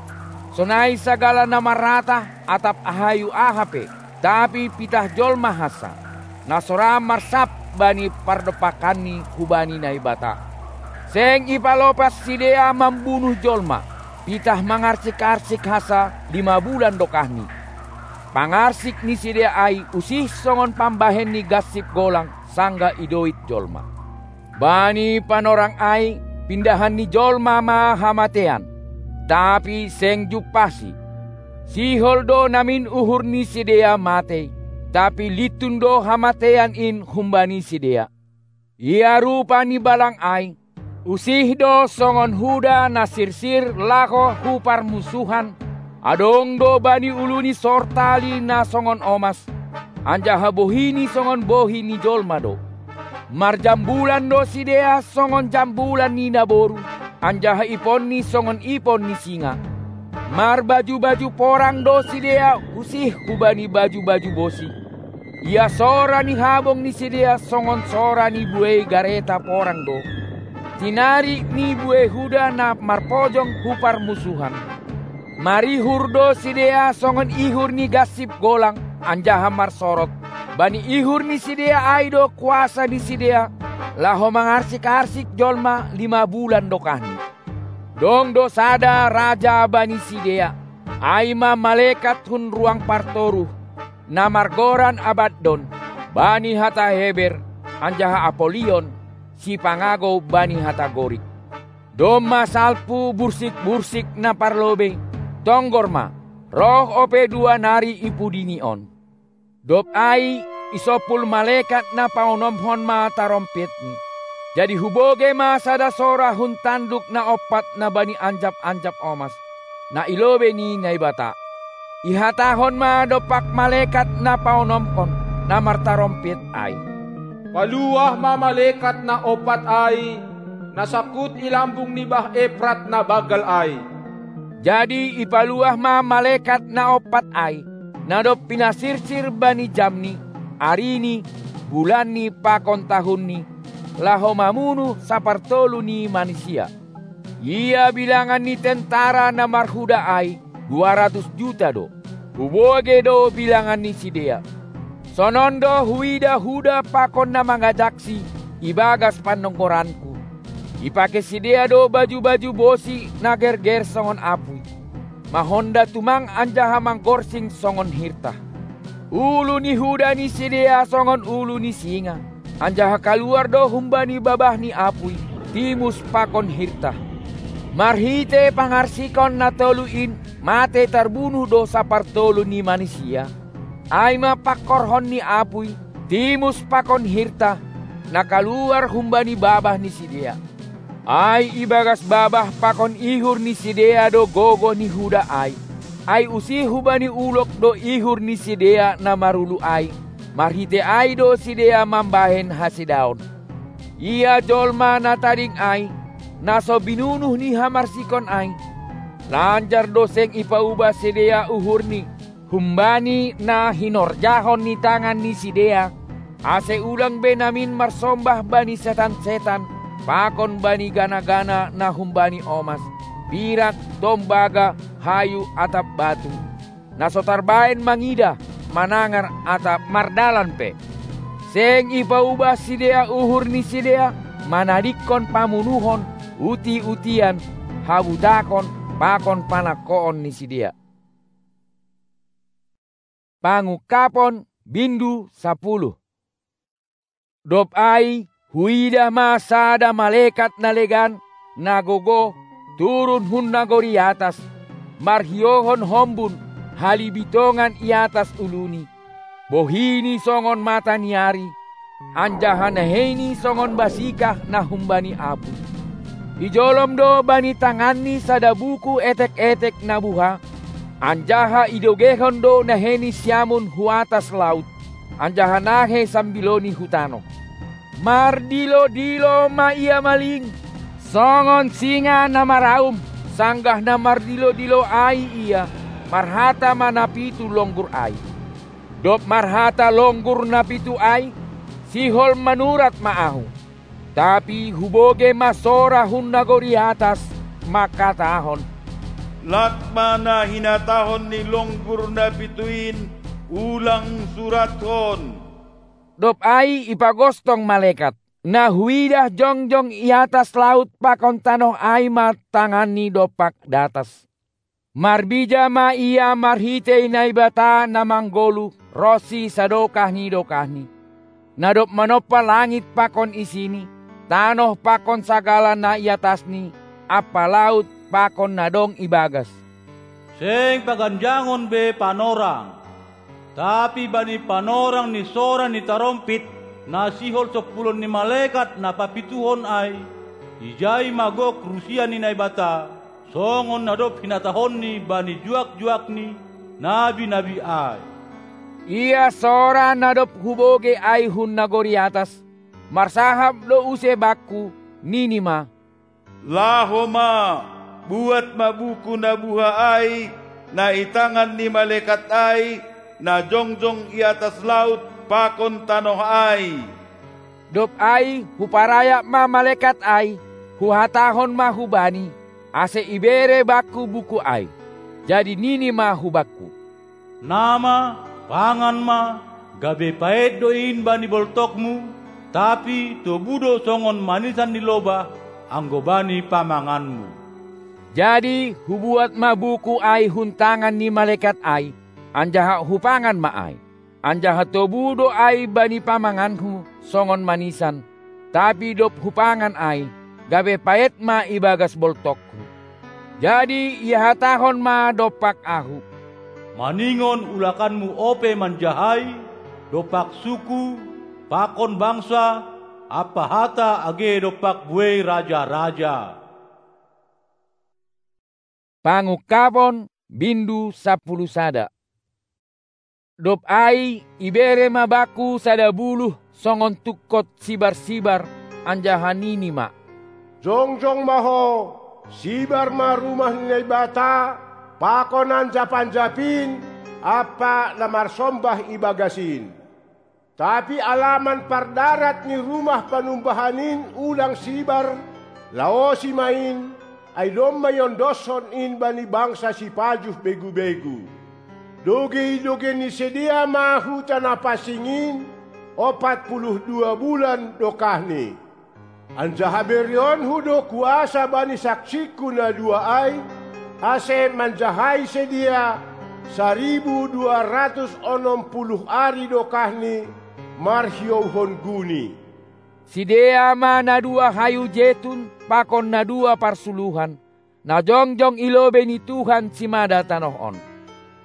sonai sagala na maratah atap hayu aha pe, tapi pitah jolma hansa, na so ra marsap bani pardompakanni hubani Naibata. Seng ipalopas sidea mambunuh jolma, pitah mangarsik-arsik hansa lima bulan dokahni. Pangarsik ni sidea ai usih songon pambahen ni gansip golang sanggah idoit jolma. Bani panorang ai, pindahan ni jolma ma hamatean, tapi seng jumpahsi. Sihol do namin uhur ni sidea matei, tapi lintun do hamatean in humbani sidea. Ia rupa ni balang ai, usih do songon huda na sirsir laho hu parmusuhan, adong do bani ulu ni sortali na songon omas, anjaha bohini songon bohi ni jolma do. Marjambulan do sidea songon jambulan ni naboru, anjaha iponni songon ipon ni singa. Marbaju-baju porang do sidea usih hubani baju-baju bosi. Ia sora ni habong ni sidea songon sora ni buei gareta porang do. Tinari ni buei huda na marpojong hu parmusuhan. Marihur do sidea songon ihur ni gansip golang, anjaha marsorot. Bani ihur ni sidea ai do kuasa ni sidea, laho mangarsik-arsik jolma lima bulan dokahni. Dong do sada raja bani sidea, ai ma malekat hun ruang partoruh, na margoran Abaddon, bani hata Heber, anjaha Apolion, sipangagou bani hata Gorik. Domma salpu bursik-bursik na parlobei, tonggor ma, roh ope dua nari i pudini on. Dob ai, isompul malekat na paonomhon ma tarompetni. Jadi hubogei ma sada sora hun tanduk na ompat na bani anjap-anjap omas, na i lobei ni Naibata. Ihatahon ma dompak malekat na paonomhon, na martarompet ai: Paluah ma malekat na ompat ai, na sangkut i lambung ni bah Eprat na banggal ai. Jadi ipaluah ma malekat na ompat ai, na dob pinasirsir bani jamni, arini, bulanni pakon tahunni, laho mamunuh sapartolu ni manisia. Ia bilangan ni tentara na marhuda ai, dua ratus juta do. Hubogei do bilangan ni sidea. Sonon do huida huda pakon na mangajaksi i bagas panonggoranku. Ipake sidea do baju-baju bosi na gerger songon apui, mahonda tumang anjaha manggorsing songon hirtah. Ulu ni huda ni sidea songon ulu ni singa, anjaha kaluar do humbani babah ni apui, timus pakon hirtah. Marhite pangarsikon na tolu in mate tarbunuh do sapartolu ni manisia, ai ma pangkorhon ni apui, timus pakon hirtah, na kaluar humbani babah ni sidea. Ai ibagas babah pakon ihur ni sidea do gogoh ni huda ai. Ai usih hubani ulok do ihur ni sidea na marulu ai, marhite ai do sidea mambahen hasedaon. Ia jolma na tading ai, na so binunuh ni hamarsikon ai, lanjar do seng ipaubah sidea uhurni, humbani na hinorjahon ni tangan ni sidea, ase ulang be namin marsombah bani setan-setan, pakon bani gana-gana na humbani omas, pirak, tombaga, hayu atap batu, na so tarbahen mangida, manangar atap mardalan pe. Seng ipaubah sidea uhur ni sidea, manadingkon pamunuhon, uti-utian, habutakon, pakon panangkoon ni sidea. Pangungkapon, bindu sapuluh. Dob ai, huida ma sada malekat na legan, na gogoh, turun hun nagori atas, marhiohon hombun, halibitongan i atas uluni, bohini songon mata ni ari, anjaha naheini songon basikah na humbani apui. Ijolom do bani tanganni sada buku etek-etek na buha, anjaha idogehon do naheini siamun hu atas laut, anjaha nahe sambiloni hu tanoh. Mardilo-dilo ma ia maling, songon singa na maraum, sanggah na mardilo-dilo ai ia, marhata ma na pitu longgur ai. Dob marhata longgur na pitu ai, sihol manurat ma ahu. Tapi hubogei ma sora hun nagori atas, mangkatahon: Lat ma na hinatahon ni longgur na pitu in, ulang surathon. Dob ai ipagostong malekat. Na huidah jongjong i atas laut pakon tanoh ai ma tanganni dompak datas. Marbija ma ia marhitei Naibata na manggoluh ronsi sadokah ni dokahni, na dob manompa langit pakon isini, tanoh pakon sagala na i atasni, ampa laut pakon na dong ibagas. Seng paganjangon be panorang, tapi bani panorang ni sora ni tarompit na sihol sompulon ni malekat na papituhon ai, ijai ma gok rusia ni Naibata, songon na dob hinatahonNi bani juak-juakNi nabi-nabi ai. Ia sora na dob hubogei ai hun nagori atas, marsahap do use bakku, nini ma: Laho ma, buat ma buku na buha ai, na i tangan ni malekat ai, na jongjong i atas laut pakon tanoh ai. Dob ai huparayap ma malekat ai, huhatahon ma hubani, ase ibere bakku buku ai. Jadi nini ma hubakku: Nama, pangan ma, gabe paet do in bani boltokmu, tapi tobu do songon manisan ni lobah, anggo bani pamanganmu. Jadi hubuat ma buku ai hun tangan ni malekat ai, anjaha hupangan ma ai. Anjaha tobu do ai bani pamanganhu songon manisan, tapi dob hupangan ai, gabe paet ma ibagas boltokku. Jadi ihatahon ma dompak ahu: Maningon ulakanmu ope manjahai, dompak suku, pakon bangsa, ampa hata age dompak buei raja-raja. Pangungkapon, bindu sampulu sada. Dob ai ibere ma bakku sada buluh songon tungkot sibar-sibar, anjaha nini ma: Jongjong ma ho, sibar ma rumah ni Naibata, pakon anjap-anjap in, ampa na marsombah ibagas in. Tapi alaman pardarat ni rumah panumbahan in ulang sibar, laosi ma in, ai domma iondoshon in bani bangsa sipajuh begu-begu. Dogei-dogei ni sidea ma huta na pansing in, ompat puluh dua bulan dokahni. Anjaha berionku do kuasa bani saksingku na dua ai, ase manjahai sidea saribu dua ratus onom puluh ari dokahni marhiouhon guni. Sidea ma na dua hayu jetun pakon na dua parsuluhan, na jongjong i lobei ni Tuhan simada tanoh on.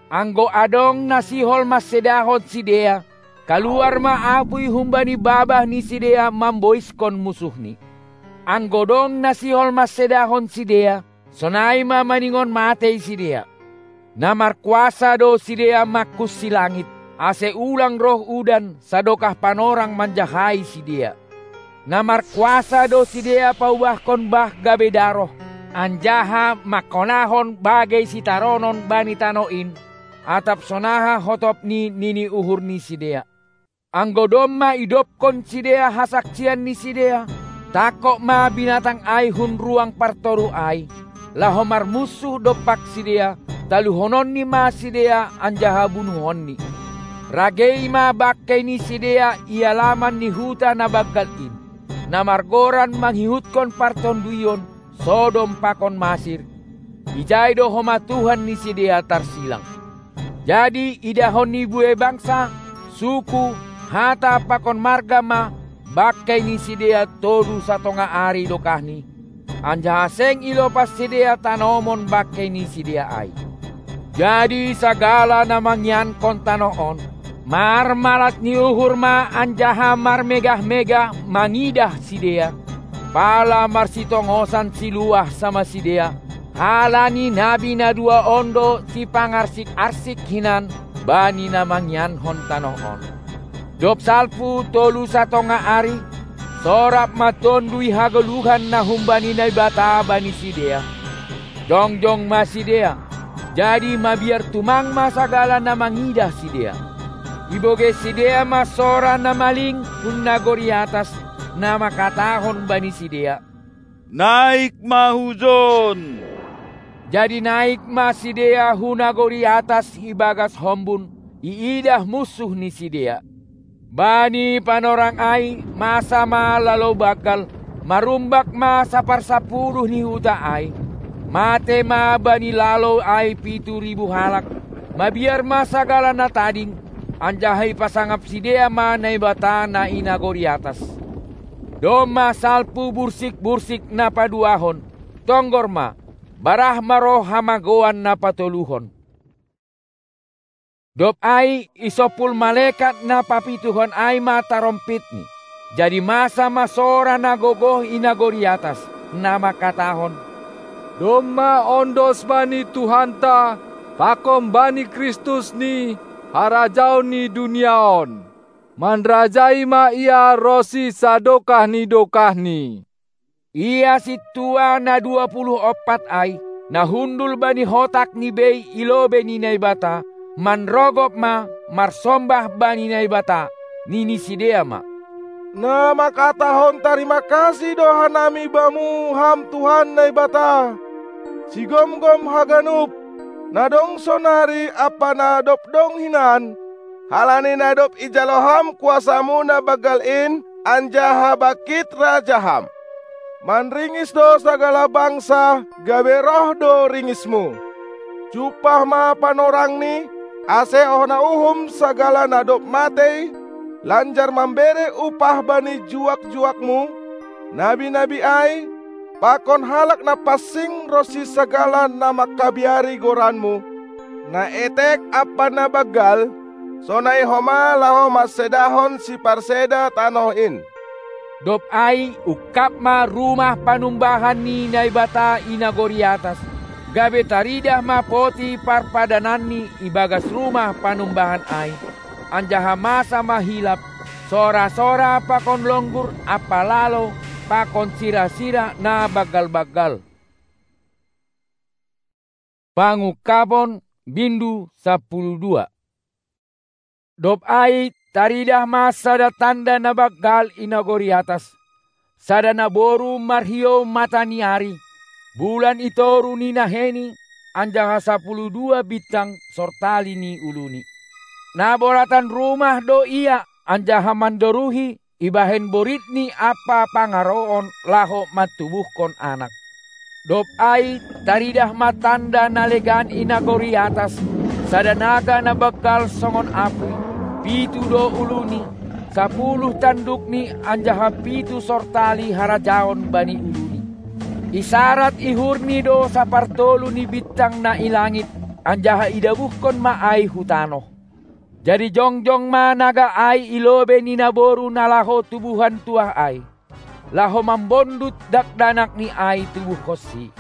Anggo adong na sihol mansedahon sidea, kaluar ma apuy humbani babah ni sidea mamboiskon musuhni. Anggo dong na sihol mansedahon sidea, sonai ma maningon matei sidea. Na markuasa do sidea mangkunsi langit, ase ulang roh udan sadokah panorang manjahai sidea. Na markuasa do sidea paubahkon bah gabe daroh, anjaha mangkonahon bagei sitaronon bani tanoh in, atap sonaha hotop ni nini uhur ni sidea. Anggo domma idobkon sidea hasaksian ni sidea, tangkok ma binatang ai hun ruang partoruh ai, laho marmunsuh dompak sidea, taluhononni ma sidea anjaha bunuhonni. Ragei ma bangkei ni sidea i alaman ni huta na banggal in, na margoran mangihutkon partonduion Sodom pakon Masir, ijai do homa Tuhan ni sidea tarsilang. Jadi idahon ni buei bangsa, suku, hata pakon marga ma bangkei ni sidea tolu satonga ari dokahni, anjaha seng ilopas sidea tanomon bangkei ni sidea ai. Jadi sagala na mangiankon tanoh on, marmalas ni uhur ma anjaha marmegah-megah mangidah sidea, pala marsitongosan siluah sama sidea, halani nabi na dua on do sipangarsik-arsik hinan bani na mangiankon tanoh on. Dob salpu tolu satonga ari, sorap ma Tonduy Hagoluhan na humbani Naibata bani sidea. Jongjong ma sidea, jadi mabiar tumang ma sagala na mangidah sidea. Ibogei sidea ma sora na maling hun nagori atas, na mangkatahon bani sidea: Naik ma hujon! Jadi naik ma sidea hu nagori atas ibagas hombun, iidah munsuh ni sidea. Bani panorang ai masa ma lalou banggal, marumbak ma saparsapuluh ni huta ai. Mate ma bani lalou ai pitu ribu halak, mabiar ma sagala na tading, anjaha ipasangap sidea ma Naibata na i nagori atas. Domma salpu bursik-bursik na paduahon, tonggor ma, barah ma roh hamagoan na patoluhon. Dob ai isompul malekat na papituhon ai ma tarompitni. Jadi masa ma sora na gogoh i nagori atas, na mangkatahon: Domma ondos bani Tuhanta, pakon bani Kristus ni harajaon ni dunia on. Manrajai ma Ia ronsi sadokah ni dokahni. Ia sintua na dua puluh ompat ai, na hundul bani hotak ni bei i lobei ni Naibata, manrogop ma, marsombah bani Naibata, nini sidea ma: Na mangkatahon tarima kasih do hanami Bamu, Ham Tuhan Naibata, sigomgom haganup, na dong sonari ampa na dob dong hinan, halani na dob ijalo Ham kuasa-Mu na banggal in, anjaha bangkit raja Ham. Manringis do sagala bangsa, gabe roh do ringisMu. Jumpah ma panorangni, ase hona uhum sagala na dob matei, lanjar mambere upah bani juak-juakMu, nabi-nabi ai, pakon halak na pansing ronsi sagala na mangkabiari goranMu, na etek ampa na banggal, sonai homa laho mansedahon siparseda tanoh in. Dob ai ungkab ma rumah panumbahan ni Naibata i nagori atas, gabe taridah ma poti parpadananni ibagas rumah panumbahan ai, anjaha masa ma hilap, sora-sora pakon longgur ampa lalo pakon sira-sira na banggal-banggal. Pangungkabon, bindu sampulu dua. Dob ai taridah ma sada tanda na banggal i nagori atas, sada naboru marhiou mata ni ari, bulan i toru ni naheni, anjaha sampulu dua bintang sortali ni uluni. Na boratan rumah do ia, anjaha mandoruhi, ibahen boritni ampa pangaroon laho mantubuhkon anak. Dob ai taridah ma tanda na legan i nagori atas, sada naga na banggal songon apuy, pitu do uluni, sapuluh tandukni anjaha pitu sortali harajaon bani uluni. Isarat ihurni do sapartolu ni bintang na i langit, anjaha idabuhkon ma ai hu tanoh. Jadi jongjong ma naga ai i lobei ni naboru na laho tubuhan tuah ai, laho mambondut dakdanakni ai tubuhkonsi.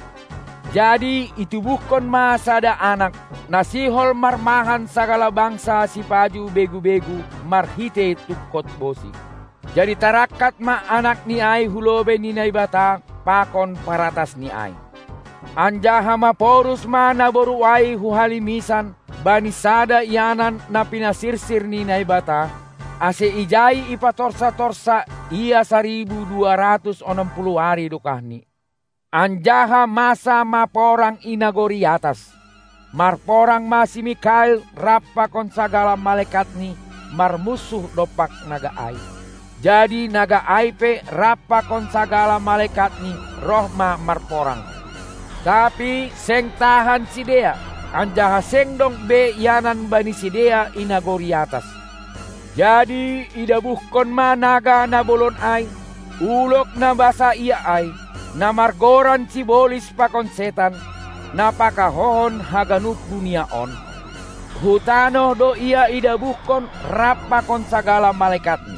Jadi itubuhkon ma sada anak, na sihol marmahan sagala bangsa sipaju begu-begu marhitei tungkot bosi. Jadi tarangkat ma anakni ai hu lobei ni Naibata pakon paratasni ai. Anjaha maporus ma naboru ai hu halimisan bani sada ianan na pinasirsir ni Naibata, ase ijai ipatorsa-torsa ia saribu dua ratus onom puluh ari dokahni. Anjaha masa ma porang i nagori atas. Marporang ma si Mikael rap pakon sagala malaekatni marmunsuh dompak naga ai. Jadi naga ai pe rap pakon sagala malaekatni roh ma marporang. Tapi seng tahan sidea, anjaha seng dong be ianan bani sidea i nagori atas. Jadi idabuhkon ma naga na bolon ai, ulok na basa ia ai, na margoran Sibolis pakon Setan, na pakahohon haganup dunia on. Hu tanoh do ia idabuhkon rap pakon sagala malaekatni.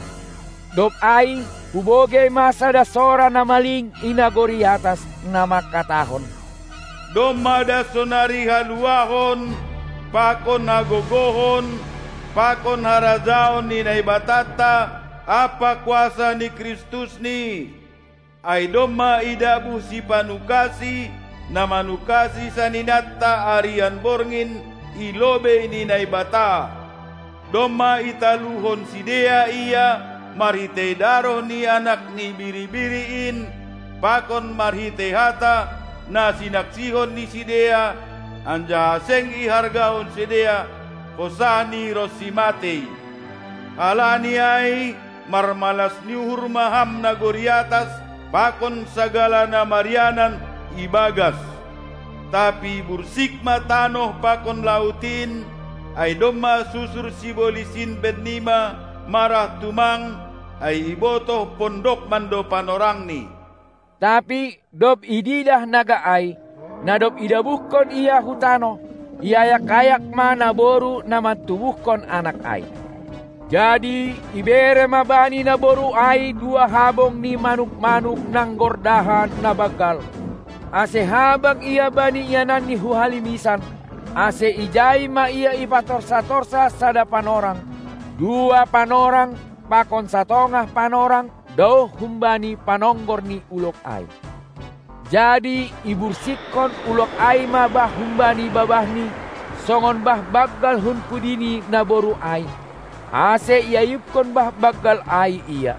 Dob ai hubogei ma sada sora na maling i nagori atas, na mangkatahon: Domma das sonari haluahon, pakon hagogohon, pakon harajaon ni Naibatanta ampa kuasa ni Kristusni. Ai domma idabuh Sipanungkasi, na manungkasi saninanta arian borngin i lobei ni Naibata. Domma italuhon sidea ia marhitei daroh ni Anak ni Biri-biri in, pakon marhitei hata na sinaksihon ni sidea, anjaha seng ihargahon sidea hosani ronsi matei. Halani ai, marmalas ni uhur ma ham nagori atas, pakon sagala na marianan i bagas. Tapi bursik ma tanoh pakon laut in, ai domma susur sibolis in bennima marah tumang, ai ibotoh pondokman do panorangni. Tapi dob ididah naga ai, na dob idabuhkon ia hu tanoh, iayak-ayak ma naboru na mantubuhkon anak ai. Jadi ibere ma bani naboru ai dua habong ni manuk-manuk nanggordahan na banggal, ase habang ia bani iananni hu halimisan, ase ijai ma ia ipatorsa-torsa sada panorang, dua panorang, pakon satongah panorang, daoh humbani panonggor ni ulok ai. Jadi ibursikkon ulok ai ma bah humbani babahni, songon bah banggal hun pudi ni naboru ai, ase iayupkon bah banggal ai ia.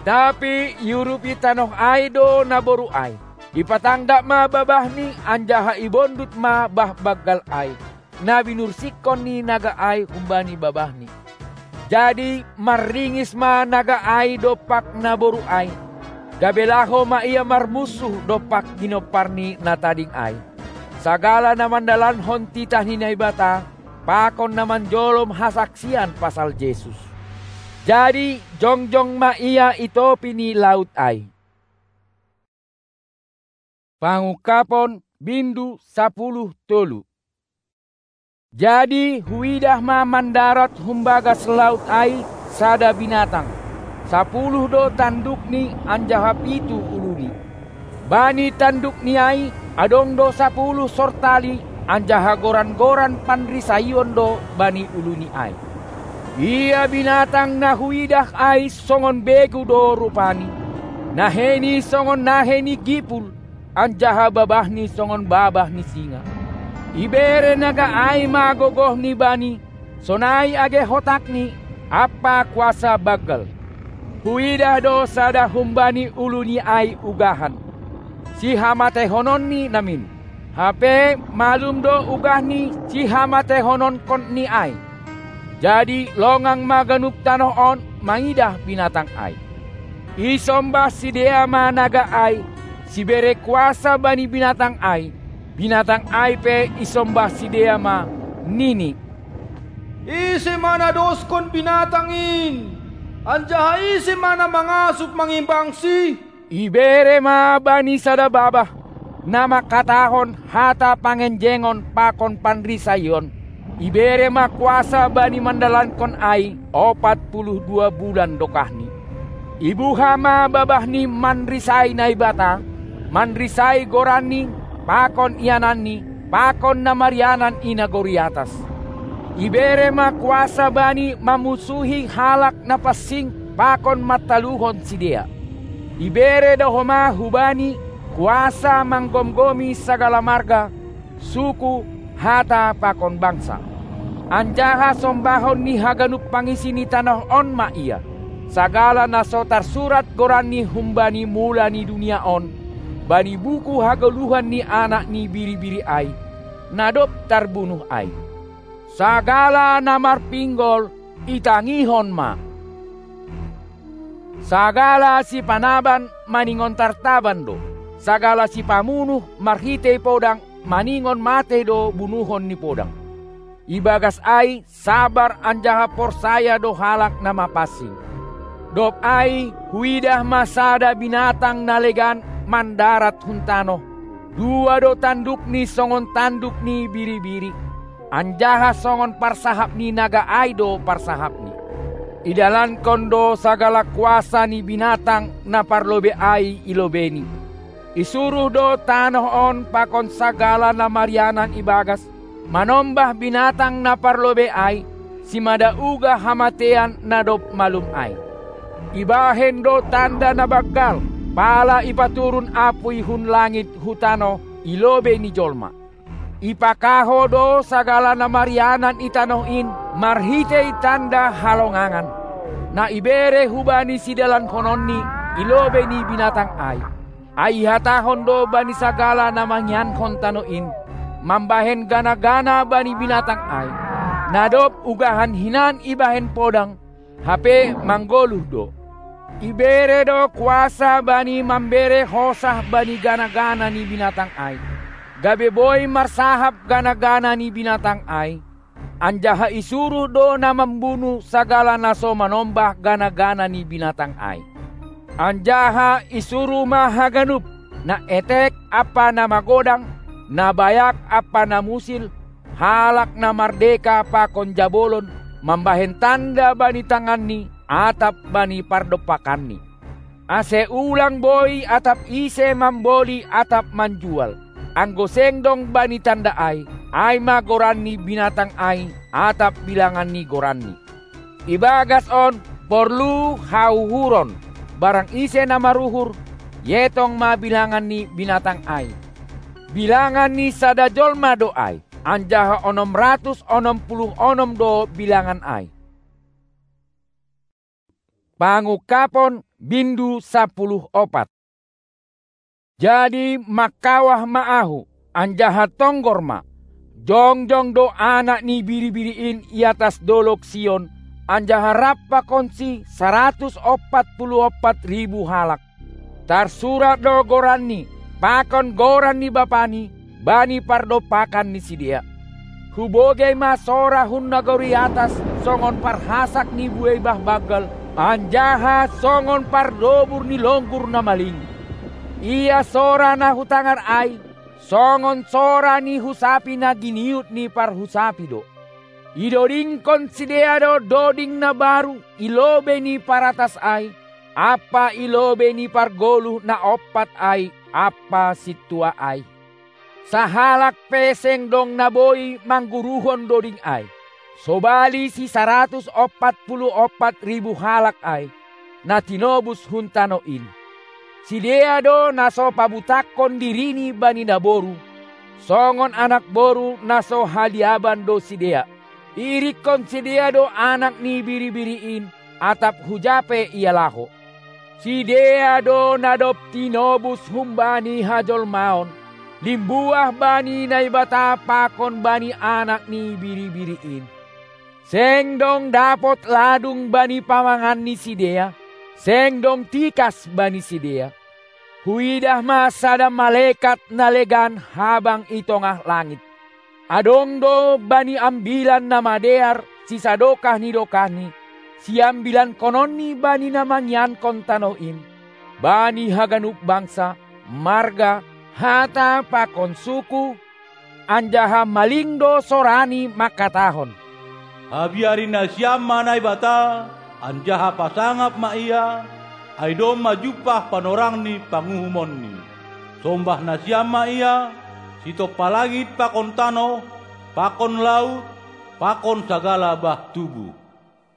Tapi iurupi tanoh ai do naboru ai. Ipatangdap ma babahni, anjaha ibondut ma bah banggal ai, na binursikkon ni naga ai humbani babahni. Jadi marringis ma naga ai dompak naboru ai, gabe laho ma ia marmunsuh dompak ginompar ni na tading ai, sagala na mandalankon titah ni Naibata, pakon na manjolom hasaksian pasal Jesus. Jadi jongjong ma ia i topi ni laut ai. Pangungkapon, bindu sapuluh tolu. Jadi huidah ma mandarat humbagas laut ai sada binatang. Sapuluh do tandukni anjaha pitu uluni. Bani tandukni ai adong do sapuluh sortali, anjaha goran-goran panrisaion do bani uluni ai. Ia binatang na huidah ai songon begu do rupani, naheni songon nahe ni gipul, anjaha babahni songon babah ni singa. Ibere naga ai ma gogohni bani, sonai age hotakni, ampa kuasa banggal. Huidah do sada humbani uluni ai ugahan, sihamateihononni namin. Hape malum do ugah ni sihamateihononkonNi ai. Jadi longang ma ganup tanoh on mangidah binatang ai. Isombah sidea ma naga ai, sibere kuasa bani binatang ai, binatang ai pe isombah sidea ma, nini: Ise ma na doskon binatang in? Anjaha ise ma na mangasup mangimbangsi? Ibere ma bani sada babah, na mangkatahon hata pangenjengon pakon panrisaion. Ibere ma kuasa bani mandalankon ai opat puluh dua bulan dokahni. Ibuha ma babahni manrisai Naibata, manrisai goranNi, pakon iananNi, pakon na marianan i nagori atas. Ibere ma kuasa bani mamusuhi halak na pansing pakon mantaluhon sidea. Ibere do homa hubani kuasa manggomgomi sagala marga, suku, hata pakon bangsa. Anjaha sombahon ni haganup pangisi ni tanoh on ma Ia, sagala na so tarsurat goranni humbani mula ni dunia on, bani buku hagoluhan ni Anak ni Biri-biri ai, na dob tarbunuh ai. Sagala na marpinggol itangihon ma. Sagala sipanaban maningon tartaban do. Sagala sipamunuh marhitei podang maningon matei do bunuhon ni podang. Ibagas ai sabar anjaha porsaya do halak na mapansing. Dob ai huidah ma sada binatang na legan mandarat hun tanoh. Dua do tandukni songon tanduk ni biri-biri, anjaha songon parsahap ni naga ai do parsahapni. Idalankon do sagala kuasa ni binatang na parlobei ai i lobeini. Isuruh do tanoh on pakon sagala na marianan ibagas manombah binatang na parlobei ai, simada uga hamatean na dob malum ai. Ibahen do tanda na banggal, pala ipaturun apuy hun langit hu tanoh i lobei ni jolma. Ipakaho do sagala na marianan i tanoh in marhitei tanda halongangan, na ibere hubani sidalankonnonni i lobei ni binatang ai. Ai ihatahon do bani sagala na mangiankon tanoh in, mambahen gana-gana bani binatang ai, na dob ugahan hinan ibahen podang, hape manggoluh do. Ibere do kuasa bani mambere hosah bani gana-gana ni binatang ai, gabe boi marsahap gana-gana ni binatang ai, anjaha isuruh do na mambunu sagala na so manombah gana-gana ni binatang ai. Anjaha isuruh ma haganup, na etek ampa na magodang, na bayak ampa na musil, halak na mardeka pakon jabolon, mambahen tanda bani tanganni atap bani pardompakanni. Ase ulang boi atap ise mamboli atap manjual, anggo seng dong bani tanda ai, ai ma goran ni binatang ai atap bilangan ni goranni. Ibagas on porlu hauhuron, barang ise na maruhur, ietong ma bilangan ni binatang ai. Bilangan ni sada jolma do ai, anjaha onom ratus onom puluh onom do bilangan ai. Pangungkapon bindu sapuluh opat. Jadi mangkawah ma ahu, anjaha tonggor ma. Jongjong do Anak ni Biri-biri in i atas dolog Sion, anjaha rap pakonsi saratus ompat puluh ompat ribu halak. Tarsurat do goranni, pakon goran ni Bapani, bani pardompakan ni sidea. Hubogei ma sora hun nagori atas songon parhasak ni buei bah banggal, anjaha songon pardobur ni longgur na maling. Ia sora na hutangar ai, songon sora ni husapi na giniut ni parhusapi do. Idodingkon sidea do doding na baru i lobei ni paratas ai, ampa i lobei ni pargoluh na ompat ai ampa sintua ai. Sahalak pe seng dong na boi mangguruhon doding ai, sobali si saratus ompat puluh ompat ribu halak ai, na tinobus hun tano in. Sidea do na so pabutakkon dirini bani naboru, songon anak boru na so haliaban do sidea. Iirikkon sidea do Anak ni Biri-biri in, atap huja pe ia laho. Sidea do na dob tinobus humbani hajolmaon, limbuah bani Naibata pakon bani Anak ni Biri-biri in. Seng dong dapot ladung bani pamangan ni sidea, seng dong tikas bani sidea. Huidah ma sada malekat na legan habang i tongah langit. Adong do bani ambilan na madear sisadokah ni dokahni, siambilankononni bani na mangiankon tanoh in, bani haganup bangsa, marga, hata pakon suku, anjaha maling do sorani mangkatahon: Habiari nasiam ma Naibata, anjaha pasangap ma Ia, ai domma jumpah panorang ni panguhumonni. Sombah nasiam ma Ia, sitompa langit pakon tanoh, pakon laut, pakon sagala bah tubuh.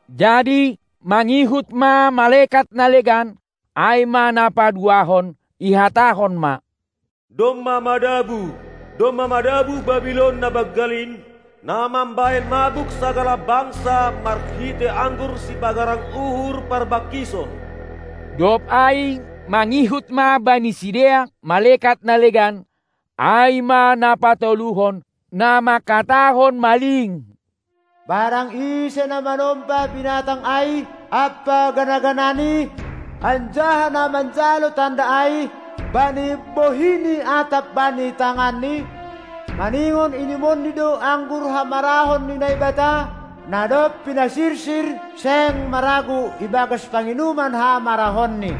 Jadi mangihut ma malekat na legan, ai ma na paduahon, ihatahon ma: Domma madabu, domma madabu Babilon na banggal in, na mambahen mabuk sagala bangsa marhitei anggur sipagarang uhur parbangkison. Dob ai mangihut ma bani sidea malekat na legan, ai ma na patoluhon, na mangkatahon maling: Barang ise na manomba binatang ai ampa gana-ganani, anjaha na manjalo tanda ai bani bohini atap bani tanganni, maningon inimonni do anggur hamarahon ni Naibata, na dob pinasirsir seng maragu ibagas panginuman hamarahonni.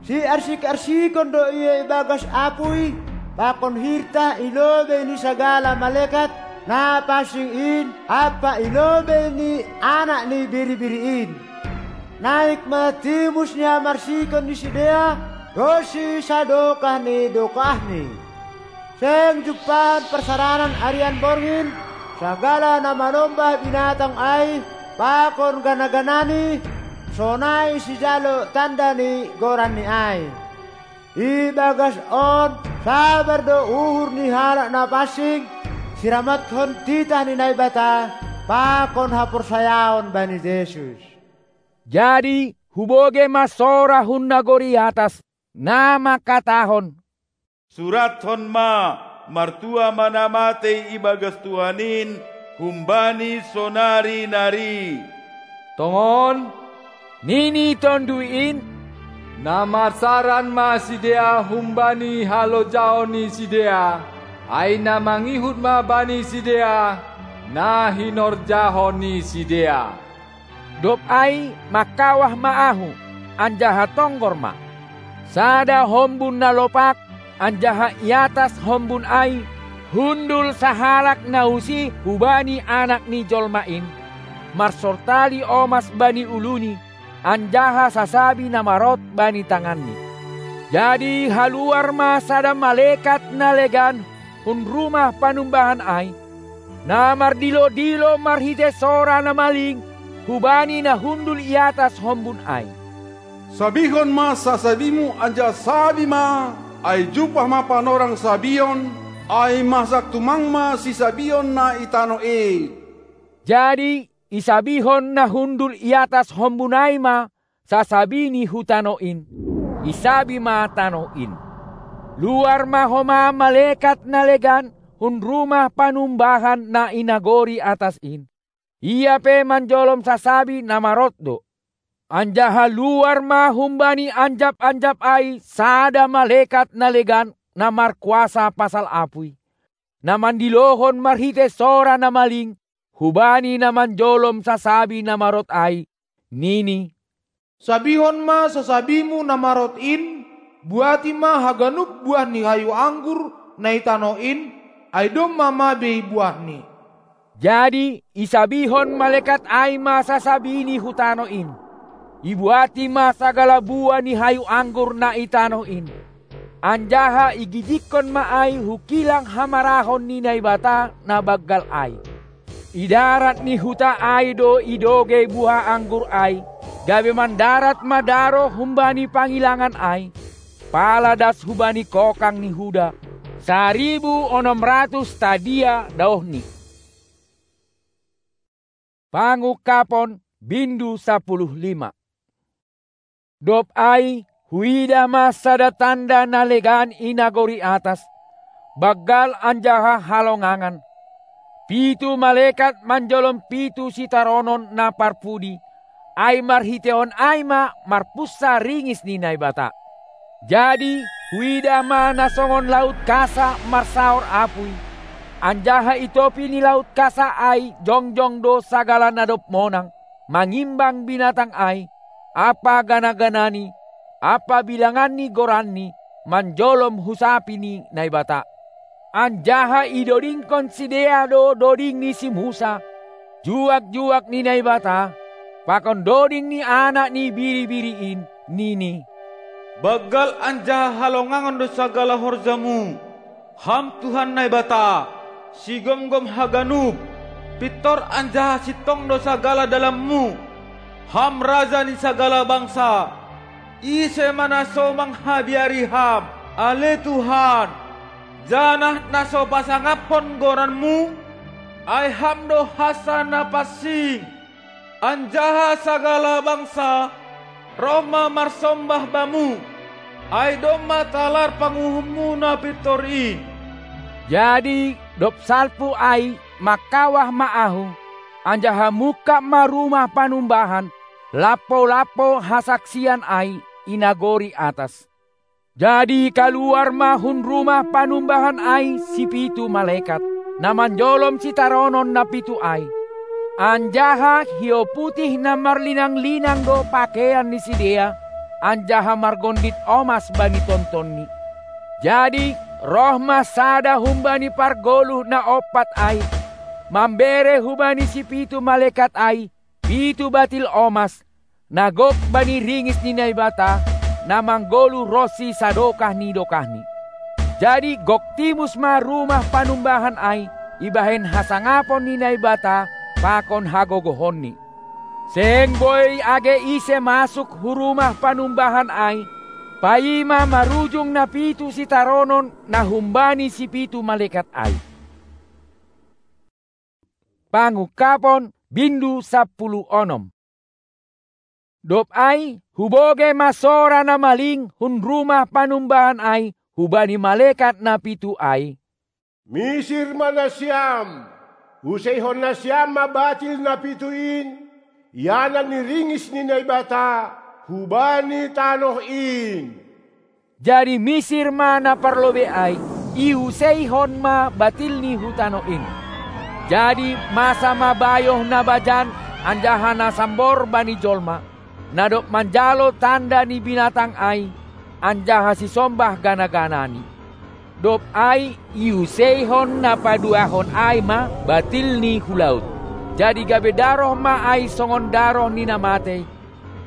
Siarsik-arsikon do ia ibagas apui pakon hirtah i lobei ni sagala malekat na pansing in ampa i lobei ni Anak ni Biri-biri in. Naik ma timus ni hamarsikon ni sidea ronsi sadokah ni dokahni. Seng jumpahon parsaranan arian borngin, sagala na manombah binatang ai pakon gana-ganani, sonai sijalo tanda ni goranni ai. Ibagas on sabar do uhur ni halak na pansing, siramathon titah ni Naibata pakon haporsayaon bani Jesus. Jadi hubogei ma sora hun nagori atas, na mangkatahon: Surathon ma: Martua ma na matei ibagas Tuhan in humbani sonari nari. Tongon, Nini Tonduy in: Na marsaran ma sidea humbani halojaon ni sidea, ai na mangihut ma bani sidea na hinorjahon ni sidea. Dob ai mangkawah ma ahu, anjaha tonggor ma. Sada hombun na lopak, anjaha i atas hombun ai hundul sahalak na usih hubani Anak ni jolma in, marsortali omas bani uluNi, anjaha sasabi na marot bani tanganNi. Jadi haluar ma sada malekat na legan hun rumah panumbahan ai, na mardilo-dilo marhitei sora na maling hubani na hundul i atas hombun ai: Sabihon ma sasabimu anjaha sabi ma, ai jumpah ma panorang sabion, ai masak tumang ma sisabion na i tanoh in. Jadi isabihon na hundul i atas hombun ai ma sasabiNi hu tanoh in, isabi ma tanoh in. Luar ma homa malekat na legan hun rumah panumbahan na i nagori atas in. Ia pe manjolom sasabi na marot do. Anjaha luar ma humbani anjap-anjap ai sada malekat na legan na markuasa pasal apuy, na mandilohon marhitei sora na maling hubani na manjolom sasabi na marot ai, nini: Sabihon ma sasabimu na marot in, buati ma haganup buah ni hayu anggur na i tanoh in, ai domma ma bei buahni. Jadi isabihon malekat ai ma sasabiNi hu tanoh in. Ibuati ma sagala buah ni hayu anggur na i tanoh in, anjaha igijigkon ma ai hu kilang hamarahon ni Naibata na banggal ai. I darat ni huta ai do idogei buah anggur ai, gabe mandarat ma daroh humbani pangilangan ai, pala das hubani kokang ni huda, saribu onom ratus stadia daohni. Pangungkapon, bindu sapuluh lima. Dob ai huidah ma sada tanda na legan i nagori atas, banggal anjaha halongangan. Pitu malekat manjolom pitu sitaronon na parpudi, ai marhiteihon ai ma marpunsa ringis ni Naibata. Jadi huidah ma na songon laut kasa marsaor apuy, anjaha i topi ni laut kasa ai jongjong do sagala na dob monang, mangimbang binatang ai, ampa gana-ganani, ampa bilangan ni goranni, manjolom hu sapi ni Naibata. Anjaha idodingkon sidea do doding ni si Musa, juak-juak ni Naibata, pakon doding ni Anak ni Biri-biri in, nini: Banggal anjaha halongangon do sagala horjamu, Ham Tuhan Naibata, sigomgom haganup, pintor anjaha sintong do sagala dalanmu, Ham Raja ni sagala bangsa. Ise ma na so manghabiari Ham, ale Tuhan, janah na so pasangaphon goranmu? Ai Ham do hansa na pansing, anjaha sagala bangsa roh ma marsombah Bamu, ai domma talar panguhummu na pintor in. Jadi dob salpu ai mangkawah ma ahu, anjaha mungkap ma rumah panumbahan, lampo-lampo hasaksian ai i nagori atas. Jadi kaluar ma hun rumah panumbahan ai sipitu malekat, na manjolom sitaronon na pitu ai. Anjaha hiou putih na marlinang-linang do pakeian ni sidea, anjaha margondit omas bani tontonni. Jadi roh ma sada humbani pargoluh na ompat ai, mambere hubani sipitu malekat ai pitu batil omas, na gok bani ringis ni Naibata, na manggoluh ronsi sadokah ni dokahni. Jadi gok timus ma rumah panumbahan ai ibahen hasangapon ni Naibata pakon hagogohonni. Seng boi age ise masuk hu rumah panumbahan ai, paima marujung na pitu sitaronon na humbani sipitu malekat ai. Pangungkapon, bindu sapuluh onom. Dob ai hubogei ma sora na maling hun rumah panumbahan ai hubani malekat na pitu ai: Misir ma nasiam, useihon nasiam ma batil na pitu in, ianan ni ringis ni Naibata hubani tanoh in. Jadi misir ma na parlobei ai, iuseihon ma batilni hu tanoh in. Jadi masa ma bayoh na bajan anjaha na sambor bani jolma, na dob manjalo tanda ni binatang ai, anjaha sisombah gana-ganani. Dob ai iuseihon na paduahon ai ma batilni hu laut. Jadi gabe daroh ma ai songon daroh ni na matei,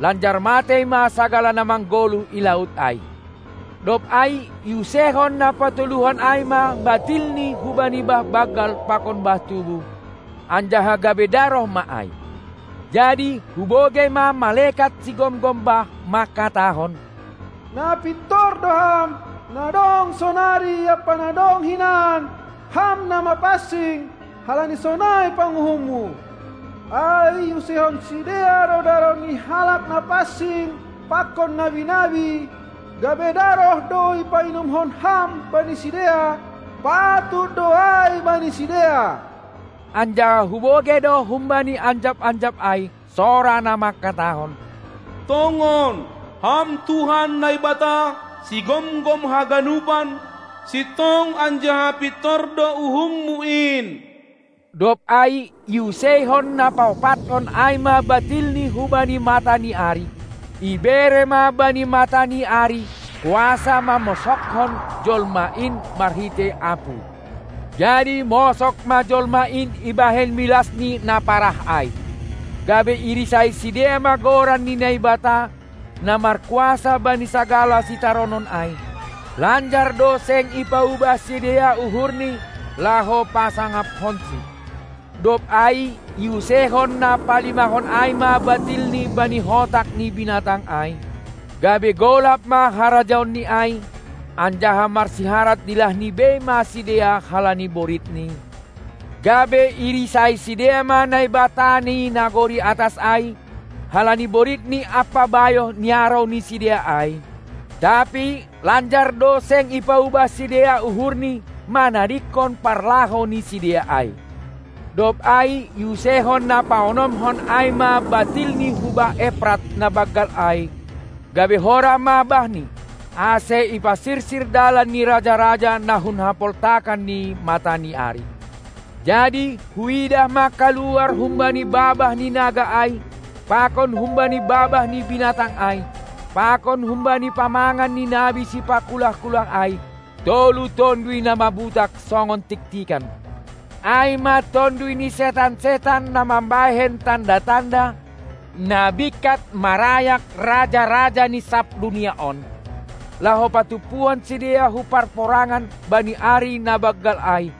lanjar matei ma sagala na manggoluh i laut ai. Dob ai iuseihon na patoluhon ai ma batilni hubani bah banggal pakon bah tubuh, anjaha gabe daroh ma ai. Jadi hubogei ma malekat sigomgom bah mangkatahon: Na pintor do Ham, na dong sonari ampa na dong hinan, Ham na mapansing, halani sonai panguhumMu. Ai iuseihon sidea do daroh ni halak na pansing pakon nabi-nabi, gabe daroh do ipainumhon Ham bani sidea, patut do ai bani sidea. Anjaha hubogei do humbani anjap-anjap ai sora na mangkatahon: Tongon, Ham Tuhan Naibata, sigomgom haganupan, sintong anjaha pintor do uhumMu in. Dob ai iuseihon na paopathon ai ma batilni hubani mata ni ari. Ibere ma bani mata ni ari kuasa mamosokhon jolma in marhitei apu. Jadi mosok ma jolma in ibahen milasni na parah ai. Gabe irisai sidea ma goran ni Naibata, na markuasa bani sagala sitaronon ai. Lanjar do seng ipaubah sidea uhurni laho pasangaphonsi. Dob ai iuseihon na palimahon ai ma batilni bani hotak ni binatang ai, gabe golap ma harajaonni ai, anjaha marsiharat dilahni bei ma sidea halani boritni. Gabe irisai sidea ma Naibata ni nagori atas ai, halani boritni ampa bayoh niarou ni sidea ai. Tapi lanjar do seng ipaubah sidea uhurni manadingkon parlaho ni sidea ai. Dob ai iuseihon na paonomhon ai ma batilni hu bah Eprat na banggal ai, gabe horah ma bahni, ase ipasirsir dalan ni raja-raja na hun hapoltakan ni mata ni ari. Jadi huidah ma kaluar humbani babah ni naga ai, pakon humbani babah ni binatang ai, pakon humbani pamangan ni nabi sipakulah-kulah ai, tolu tonduy na mabutak songon tiktikan. Ai ma tonduy ni setan-setan na mambahen tanda-tanda, na bingkat marayak raja-raja ni sab dunia on, laho patumpuhon sidea hu parporangan bani ari na banggal ai,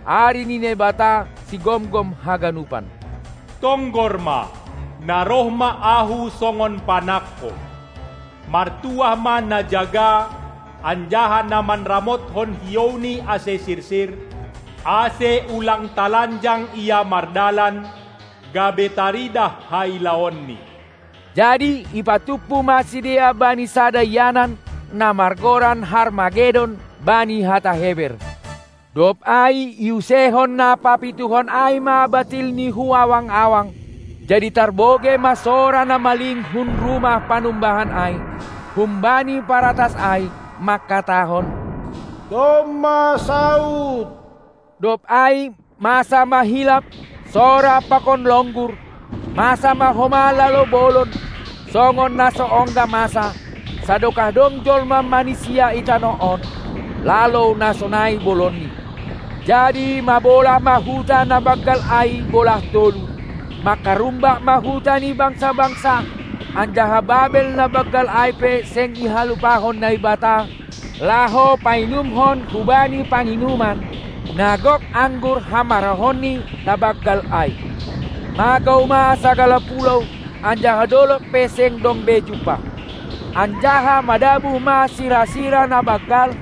ari ni Naibata sigomgom haganupan. Tonggor ma, na roh ma Ahu songon panangko. Martuah ma na jaga, anjaha na manramothon hiouni ase sirsir, ase ulang talanjang ia mardalan, gabe taridah hailaonni. Jadi ipatumpu ma sidea bani sada ianan, na margoran Harmagedon bani hata Heber. Dob ai iuseihon na papituhon ai ma batilni hu awang-awang. Jadi tarbogei ma sora na maling hun rumah panumbahan ai, humbani paratas ai, mangkatahon: Domma saut! Dob ai masa ma hilap, sora pakon longgur, masa ma homa lalo bolon, songon na so ongga masa, sadokah dong jolma manisia i tanoh on, lalo na sonai bolonni. Jadi mabolah ma huta na banggal ai bolah tolu, mangkarumbak ma huta ni bangsa-bangsa, anjaha Babel na banggal ai pe seng ihalupahon Naibata, laho painumhon hubani panginuman, na gok anggur hamarahonni na banggal ai. Magou ma sagala pulou, anjaha dolog pe seng dong be jumpah. Anjaha madabuh ma sira-sira na banggal,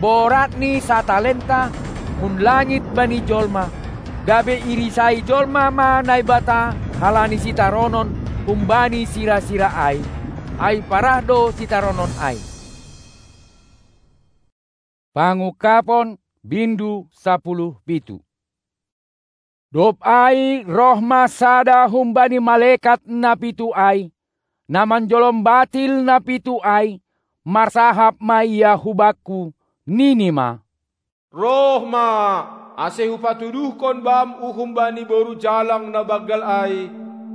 borat ni satalenta, hun langit bani jolma, gabe irisai jolma ma Naibata halani sitaronon humbani sira-sira ai, ai parah do sitaronon ai. Pangungkapon, bindu sapuluh pitu. Dob ai roh ma sada humbani malekat na pitu ai, na manjolom batil na pitu ai, marsahap ma ia hubakku, nini ma: Roh ma, ase hupatuduhkon bam uhum bani boru jalang na banggal ai,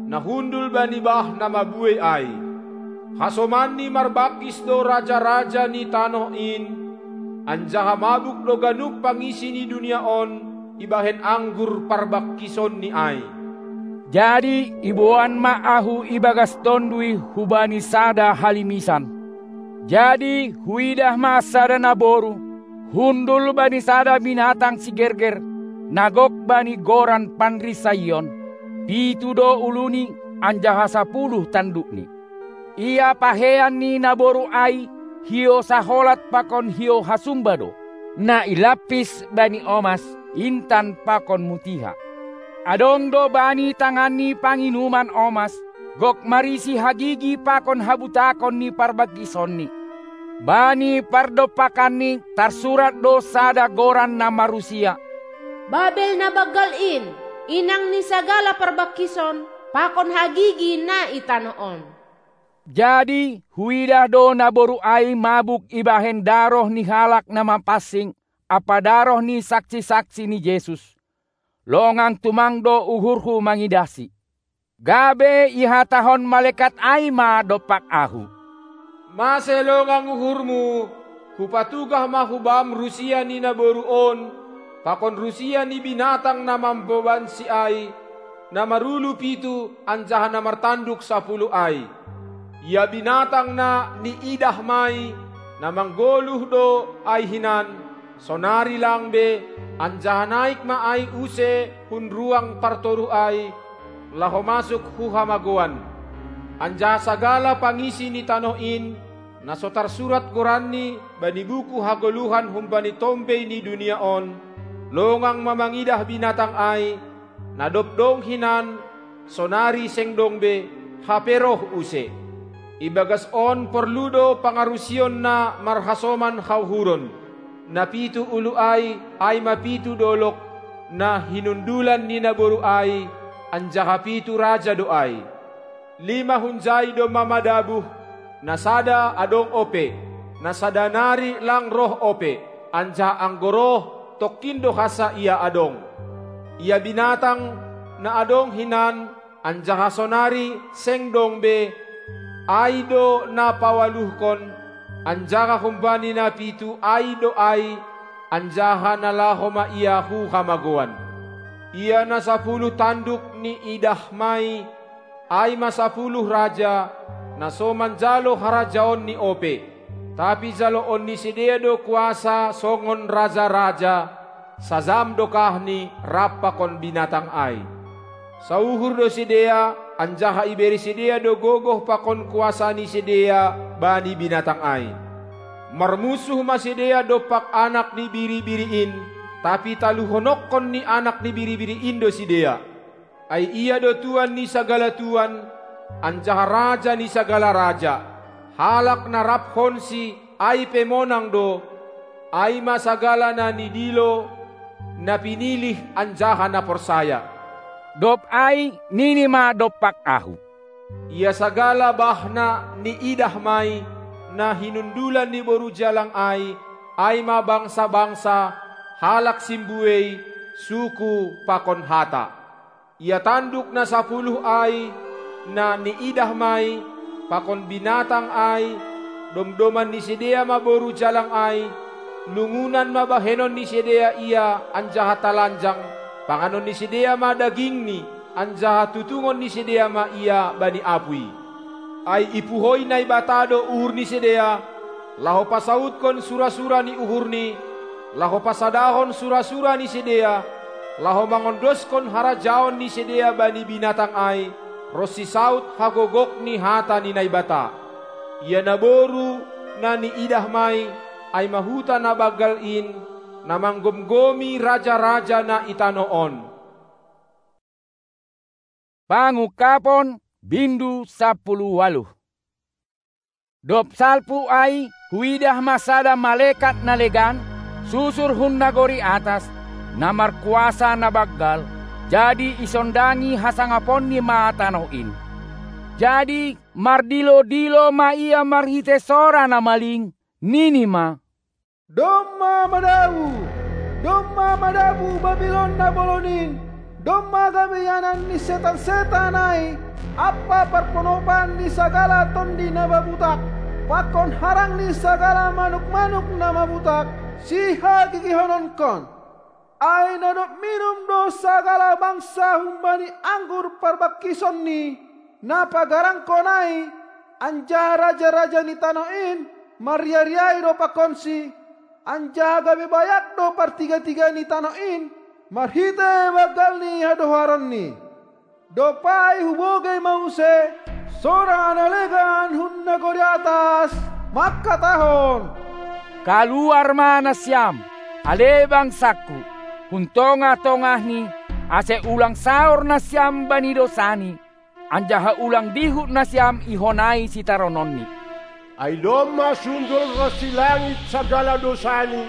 na hundul bani bah na mabuei ai. Hasomanni marbangkis do raja-raja ni tanoh in, anjaha mabuk do ganup pangisi ni dunia on ibahen anggur parbangkisonni ai. Jadi iboan ma ahu ibagas tonduy hubani sada halimisan. Jadi huidah ma sada naboru, hundul bani sada binatang sigerger, na gok bani goran panrinsaion, pitu do uluni anjaha sapuluh tandukni. Ia pahean ni naboru ai hiou saholat pakon hiou hasumba do, na ilampis bani omas, intan pakon mutiha. Adong do bani tanganni panginuman omas, gok marisi hagigi pakon habutakon ni parbangkisonni. Bani pardompakanni tarsurat do sada goran na marusia: Babel na banggal in, inang ni sagala parbangkison pakon hagigi na i tanoh on. Jadi huidah do naboru ai mabuk ibahen daroh ni halak na mapansing ampa daroh ni saksi-saksi ni Jesus. Longang tumang do uhurhu mangidahsi. Gabe ihatahon malekat ai ma dompak ahu: Mase longang uhurmu, hupatugah ma hubam rusia ni naboru on, pakon rusia ni binatang na mambobansi ai, na marulu pitu anjaha na martanduk sapuluh ai. Ia binatang na niidahma i, na manggoluh do ai hinan, sonari lang be, anjaha naik ma ai use hun ruang partoruh ai, laho masuk hu hamagoan. Anjaha sagala pangisi ni tanoh in, na so tarsurat goranni bani buku hagoluhan humbani tombei ni dunia on, longang ma mangidah binatang ai, na dob dong hinan, sonari seng dong be, hape roh use. Ibagas on porlu do pangarusion na marhasoman hauhuron. Na pitu ulu ai, ai ma pitu dolok, na hinundulan ni naboru ai, anjaha pitu raja do ai. Lima hunjai domma madabuh, na sada adong ope, na sada nari lang roh ope, anjaha anggo roh, tongkin do hansa ia adong. Ia binatang, na adong hinan, anjaha sonari seng dong be, ai do na paualuhkon, anjaha humbani na pitu ai do ai, anjaha na laho ma ia hu hamagoan. Ia na sapuluh tanduk niidahma i, ai ma sapuluh raja, na so manjalo harajaon ni ope. Tapi jaloon ni sidea do kuasa songon raja-raja, sajam dokahni rap pakon binatang ai. Sauhur do sidea, anjaha ibere sidea do gogoh pakon kuasa ni sidea bani binatang ai. Marmunsuh ma sidea dompak Anak ni Biri-biri in, tapi taluhononkon ni Anak ni Biri-biri in do sidea. Ai ia do Tuan ni sagala tuan, anjaha Raja ni sagala raja. Halak na raphonsi ai pe monang do, ai ma sagala na nidilo, na pinilih anjaha na porsaya. Dob ai nini ma dompak ahu: Ia sagala bah na niidahma i, na hinundulan ni boru jalang ai, ai ma bangsa-bangsa, halak simbuei, suku pakon hata. Ia tanduk na sapuluh ai, na niidahma i, pakon binatang ai, domdoman ni sidea ma boru jalang ai, lungunan ma bahenon ni sidea ia anjaha talanjang, panganon ni sidea ma dagingni, anjaha tutungon ni sidea ma ia bani apuy. Ai ipuhoi Naibata do uhur ni sidea, laho pasautkon sura-sura ni uhurni, laho pasadahon sura-sura ni sidea, laho mangondoskon harajaon ni sidea bani binatang ai, ronsi saut hagogok ni hata ni Naibata. Ia naboru na niidahma i, ai ma huta na banggal in, na manggomgomi raja-raja na i tanoh on. Pangungkapon, bindu sapuluh ualuh. Dob salpu ai huidah ma sada malekat na legan, susur hun nagori atas, na markuasa na banggal, Jadi isondangi hasangaponni ma tanoh in. Jadi mardilo-dilo ma ia marhitei sora na maling, nini ma: Domma madabu! Domma madabu Babilon na bolon in! Domma gabe ianan ni setan-setan ai, ampa parponopan ni sagala tondi na mabutak, pakon harang ni sagala manuk-manuk na mabutak, sihagigihononkon. Ai na dob minum do sagala bangsa humbani anggur parbangkisonni, na pagarangkon ai, anjaha raja-raja ni tanoh in marriah-riahi do pakonsi, anjaha gabe bayak do partiga-tiga ni tanoh in marhitei banggal ni hadoharonni. Dob ai hubogei ma muse sora na legan hun nagori atas, mangkatahon: Kaluar ma nasiam, ale bangsangku, hun tongah-tongahni, ase ulang saor nasiam bani dousani, anjaha ulang dihut nasiam ihonai sitarononni. Ai domma sundul ronsi langit sagala dousani,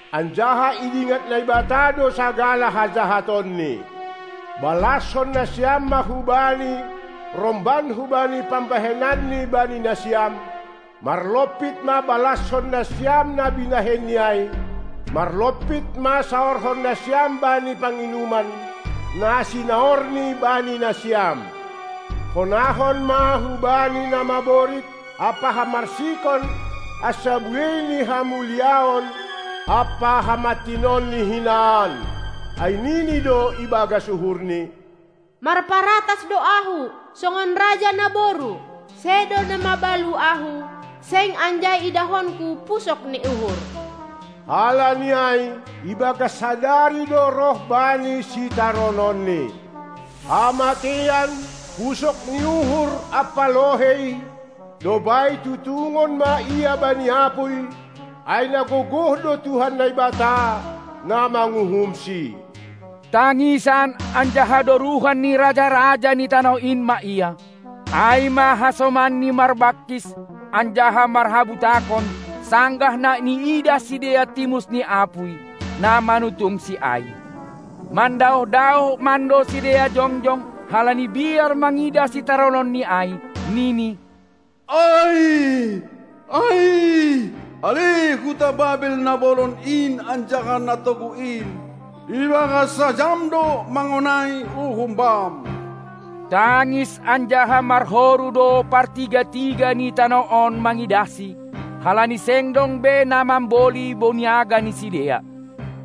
anjaha idingat Naibata do sagala hajahatonni. Balashon nasiam ma hu-Bani, romban hubani pambahenanni bani nasiam, marlompit ma balashon nasiam na binahenni ai, marlompit ma saorhon nasiam bani panginuman, na sinaorni bani nasiam. Honahon ma hu-Bani na maborit ampa hamarsikon, asa buei ni hamuliaon ampa hamantinon ni hinan. Ai nini do ibagas uhurni: Marparatas do ahu, songon raja naboru, sedo na mabalu ahu, seng anjai idahonku pusok ni uhur. Halani ai, ibagas sadari do roh bani sitarononni. Hamatean, pusok ni uhur ampa lohei, dob ai tutungon ma ia bani apuy, ai na gogoh do Tuhan Naibata, na manguhumsi. Tangisan anjaha doruhan ni raja-raja ni tanoh in ma ia. Ai ma hasomanni marbangkis anjaha marhabutakon, sanggah na niidah sidea timus ni apuy, na manutungsi ai. Mandaoh-daoh mando sidea jongjong, halani biar mangidah sitarononni ai, nini: Ai, ai, ale huta Babel na bolon in anjaha na togu in, ibagas sajam do mangonai uhum bam. Tangis anjaha marhoru do partiga-tiga ni tanoh on mangidahsi, halani seng dong be na mamboli boniaga ni sidea.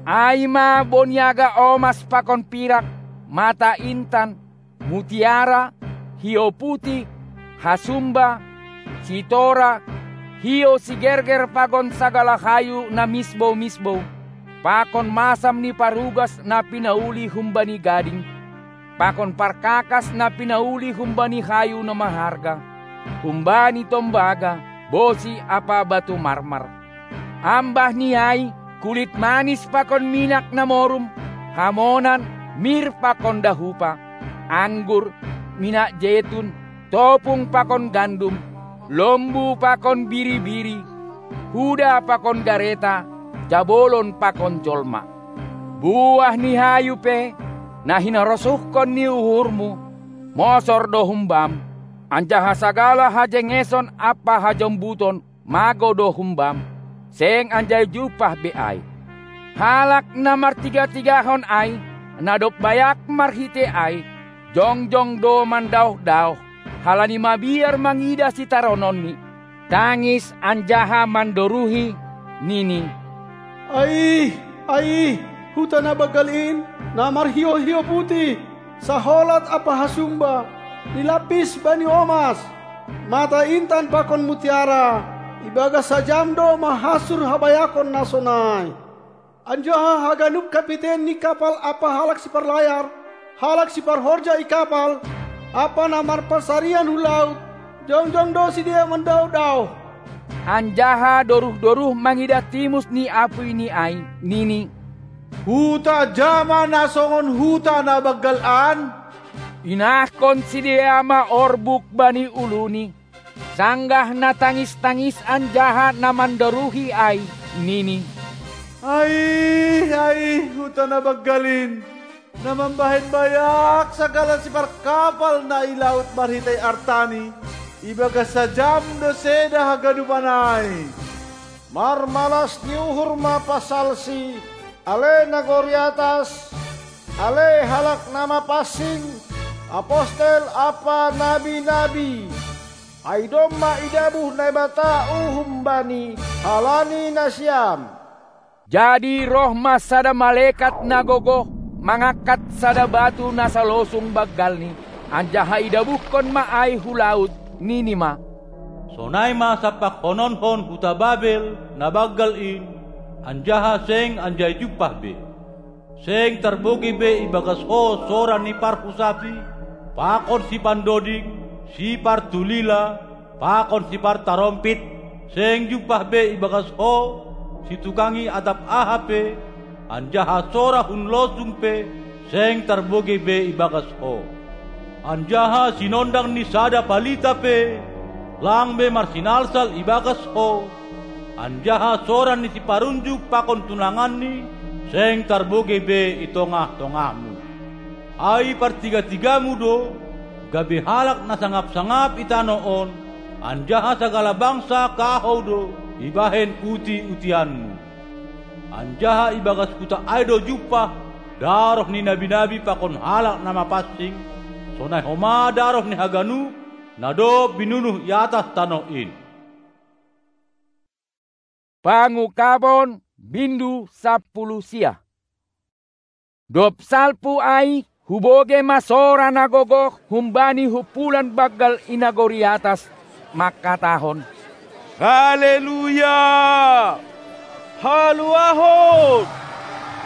Ai ma boniaga omas pakon pirak, mata intan, mutiara, hiou putih, hasumba, sitora, hiou sigerger pakon sagala hayu na misbou-misbou, pakon masam ni parugas na pinauli humbani gading, pakon parkakas na pinauli humbani hayu na maharga, humbani tombaga, bosi ampa batu marmar. Ambah ni ai, kulit manis pakon minak na morum, hamonan, mir pakon dahupa, anggur, minak jetun, topung pakon gandum, lombu pakon biri-biri, huda pakon gareta, jabolon pakon jolma. Buah ni hayu pe, na hinarosuhkon ni uhurmu, mosor do humbam, anjaha sagala hajengeson ampa hajombuton mago do humbam, seng anjai jumpah be ai. Halak na martiga-tigahon ai, na dob bayak marhitei ai, jongjong do mandaoh-daoh, halani mabiar mangidah sitarononni, tangis anjaha mandoruhi, nini: Ai, ai, huta na banggal in, na marhiou-hiou putih, saholat ampa hasumba, nilapis bani omas, mata intan pakon mutiara, ibagas sajam do mahasur habayakon na sonai. Anjaha haganup kapiten ni kapal ampa halak siparlayar, halak siparhorja i kapal, ampa na marpansarian hu laut, jongjong do sidea mandaoh-daoh. Anjaha doruh-doruh mangidah timus ni apuyni ai, nini: Huta ja ma na songon huta na banggal an? Inahkon sidea ma orbuk bani uluni, sanggah na tangis-tangis anjaha na mandoruhi ai, nini: Ai, ai, huta na banggal in! Na mambahen bayak sagala siparkapal na i laut marhitei artani, ibagas sajam do seda haganupan ai. Marmalas ni uhur ma pasalsi, ale nagori atas, ale halak na mapansing, apostel ampa nabi-nabi. Ai domma idabuh Naibata uhum bani halani nasiam. Jadi roh ma sada malekat na gogoh mangangkat sada batu na salosung banggalni, anjaha idabuhkon ma ai hu laut, nini ma: Sonai ma sampakhononhon huta Babel na banggal in, anjaha seng anjai jumpah be. Seng tarbogei be ibagas ho sora ni parhusapi, pakon sipandoding, sipartulila, pakon sipartarompit, seng jumpah be ibagas ho situkangi atap aha pe, anjaha sora hun losung pe seng tarbogei be ibagas ho. Anjaha sinondang ni sada palita pe lang be marsinalsal ibagas ho, anjaha sora ni siparunjuk pakon tunanganni seng tarbogei be i tongah-tongahmu. Ai partigatigamu do, gabe halak na sangap-sangap i tanoh on, anjaha sagala bangsa kahou do ibahen uti-utianmu. Anjaha ibagas huta ai do jumpah daroh ni nabi-nabi pakon halak na mapansing, sonai homa daroh ni haganup na dob binunuh i atas tanoh in. Pangungkapon, bindu sampulu sia. Dob salpu ai, hubogei ma sora na gogoh humbani humpulan banggal i nagori atas, mangkatahon: Haleluya! Haluahon,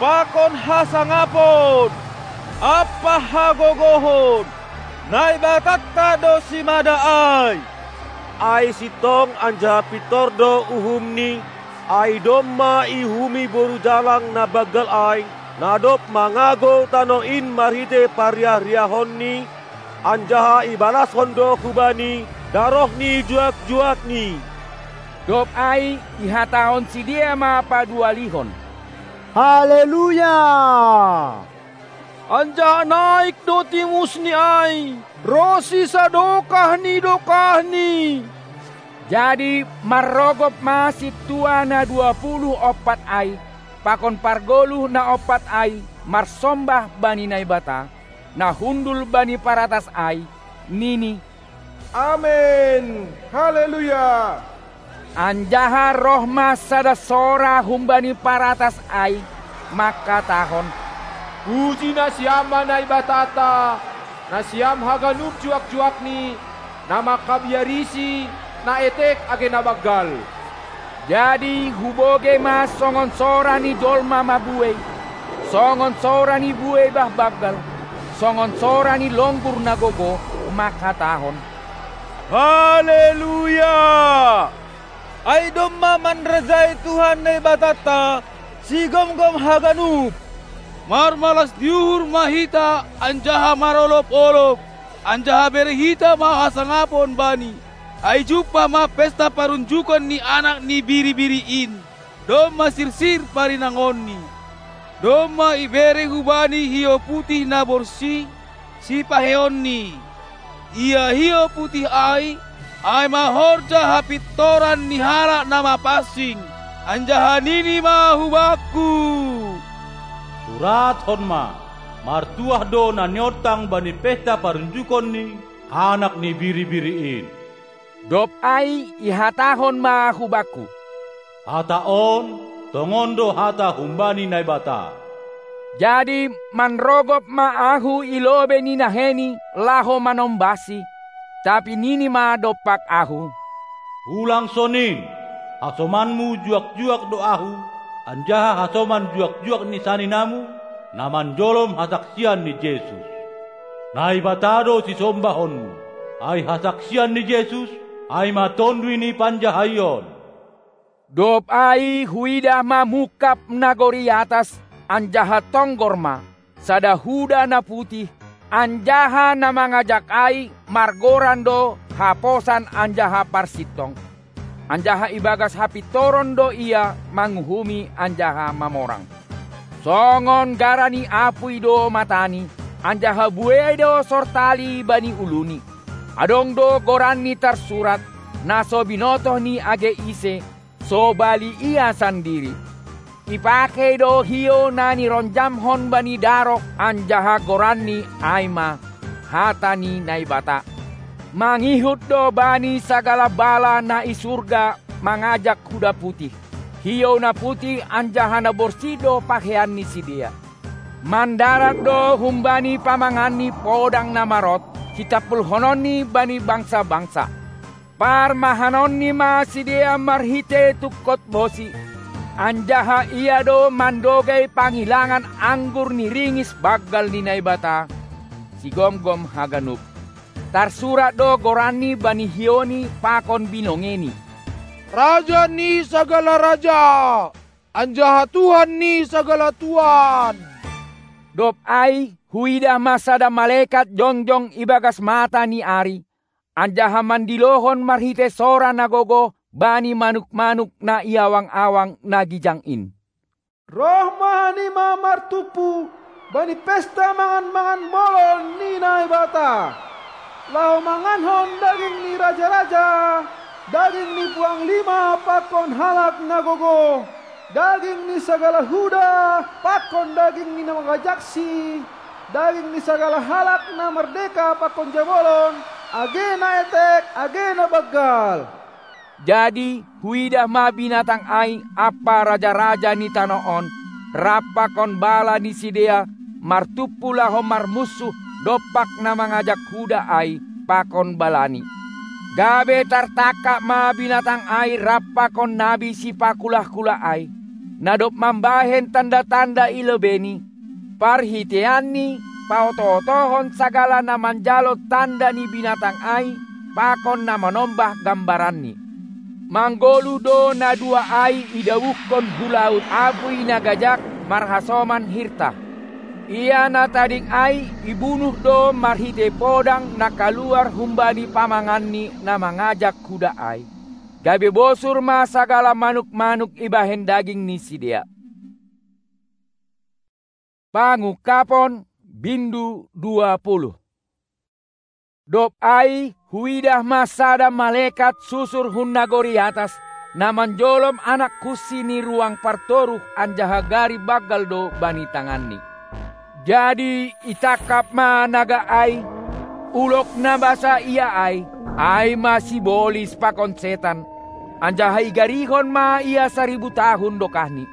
pakon hasangapon, ampa hagogohon, Naibatanta do simada ai! Ai sintong anjaha pintor do uhumni, ai domma iuhumi boru jalang na banggal ai, na dob mangagou tanoh in marhitei pariah-riahonni, anjaha ibalashon do hubani daroh ni juak-juakni. Dob ai ihatahon sidea ma paduahalihon: Haleluya! Anjaha naik do timusni ai, ronsi sadokah ni dokahni. Jadi marrogop ma sintua na dua puluh ompat ai, pakon pargoluh na ompat ai marsombah bani Naibata, na hundul bani paratas ai, nini: Amen! Haleluya! Anjaha roh ma sada sora humbani paratas ai, mangkatahon: Puji nasiam ma Naibatanta, nasiam haganup juak-juakni, na mangkabiarisi na etek age na banggal. Jadi hubogei ma songon sora ni jolma mabuei, songon sora ni buei bah banggal, songon sora ni longgur na gogoh, mangkatahon: Haleluya! Ai domma manrajai Tuhan Naibatanta, sigomgom haganup. Marmalas ni uhur ma hita anjaha marolop-olop, anjaha bere hita ma hasangapon Bani. Ai jumpah ma pesta parunjukon ni Anak ni Biri-biri in, domma sirsir parinangonni. Domma ibere hu Bani hiou putih na borsih, sipaheonni. Ia hiou putih ai, ai ma horja hapintoran ni halak na mapansing, anjaha nini ma hubakku: Surathon ma: Martuah do na niontang bani pesta parunjukon ni Anak ni Biri-biri in. Dob ai ihatahon ma hubakku: Hata on, tongon do hata humbani Naibata. Jadi manrogop ma ahu i lobei ni nahei laho manombahsi, tapi nini ma dompak ahu: Ulang sonin, hasomanmu juak-juak do ahu, anjaha hasoman juak-juak ni saninamu, na manjolom hasaksian ni Jesus. Naibata do sisombahonmu, ai hasaksian ni Jesus, ai ma Tonduy ni panjahaion. Dob ai huidah ma mungkap nagori atas, anjaha tonggor ma, sada huda na putih, anjaha na mangajak ai margoran do Haposan anjaha Parsintong. Anjaha ibagas hapintoron do ia manguhumi anjaha mamorang. Songon gara ni apui do matani, anjaha buei do sortali bani uluni. Adong do goranni tarsurat, na so binotoh ni age ise, so bali ia sandiri. Ipakei do hiou na nironjamhon bani darok, anjaha goranni ai ma hata ni Naibata. Mangihut do bani sagala bala na i surga mangajak huda putih. Hiou na putih anjaha na borsih do pahean ni sidea. Mandarat do humbani pamanganni podang na marot, sitampulhononni bani bangsa-bangsa. Parmahanonni ma sidea marhite tungkot bosi, anjaha ia do mandogei pangilangan anggur ni ringis banggal ni Naibata, sigomgom haganup. Tarsurat do goranni bani hiouni pakon binongeni. Raja ni sagala raja, anjaha Tuhan ni sagala tuan. Dob ai, huidah ma sada malekat jongjong ibagas mata ni ari, anjaha mandilohon marhite sora na gogoh bani manuk-manuk na i awang-awang na gijang in. Roh ma hanima martumpu bani pesta mangan-mangan bolon ni Naibata, laho mangankon daging ni raja-raja, daging ni puang lima pakon halak na gogoh, daging ni sagala huda pakon daging ni na mangajaksi, daging ni sagala halak na mardeka pakon jabolon, age na etek, age na banggal. Jadi huidah ma binatang ai ampa raja-raja ni tanoh on, rap pakon bala ni sidea, martumpu laho marmunsuh dompak na mangajak huda ai pakon balani. Gabe tartangkap ma binatang ai rap pakon nabi sipakulah-kulah ai, na dob mambahen tanda-tanda i lobeini, parhiteianni paoto-otohon sagala na manjalo tanda ni binatang ai pakon na manombah gambaranni. Manggoluh do na dua ai idabuhkon hu laut apui na gajak marhasoman hirta. Ia na tading ai ibunuh do marhitei podang na kaluar humbani pamanganni na mangajak huda ai. Gabe bosur ma sagala manuk-manuk ibahen daging ni sidea. Pangungkapon, bindu dua puluh. Dob ai huidah ma sada malekat susur hun nagori atas, na manjolom anak kunsi ni ruang partoruh anjaha gari banggal do bani tanganni. Jadi itangkap ma naga ai, ulok na basa ia ai, ai ma sibolis pakon setan, anjaha igarihon ma ia saribu tahun dokahni.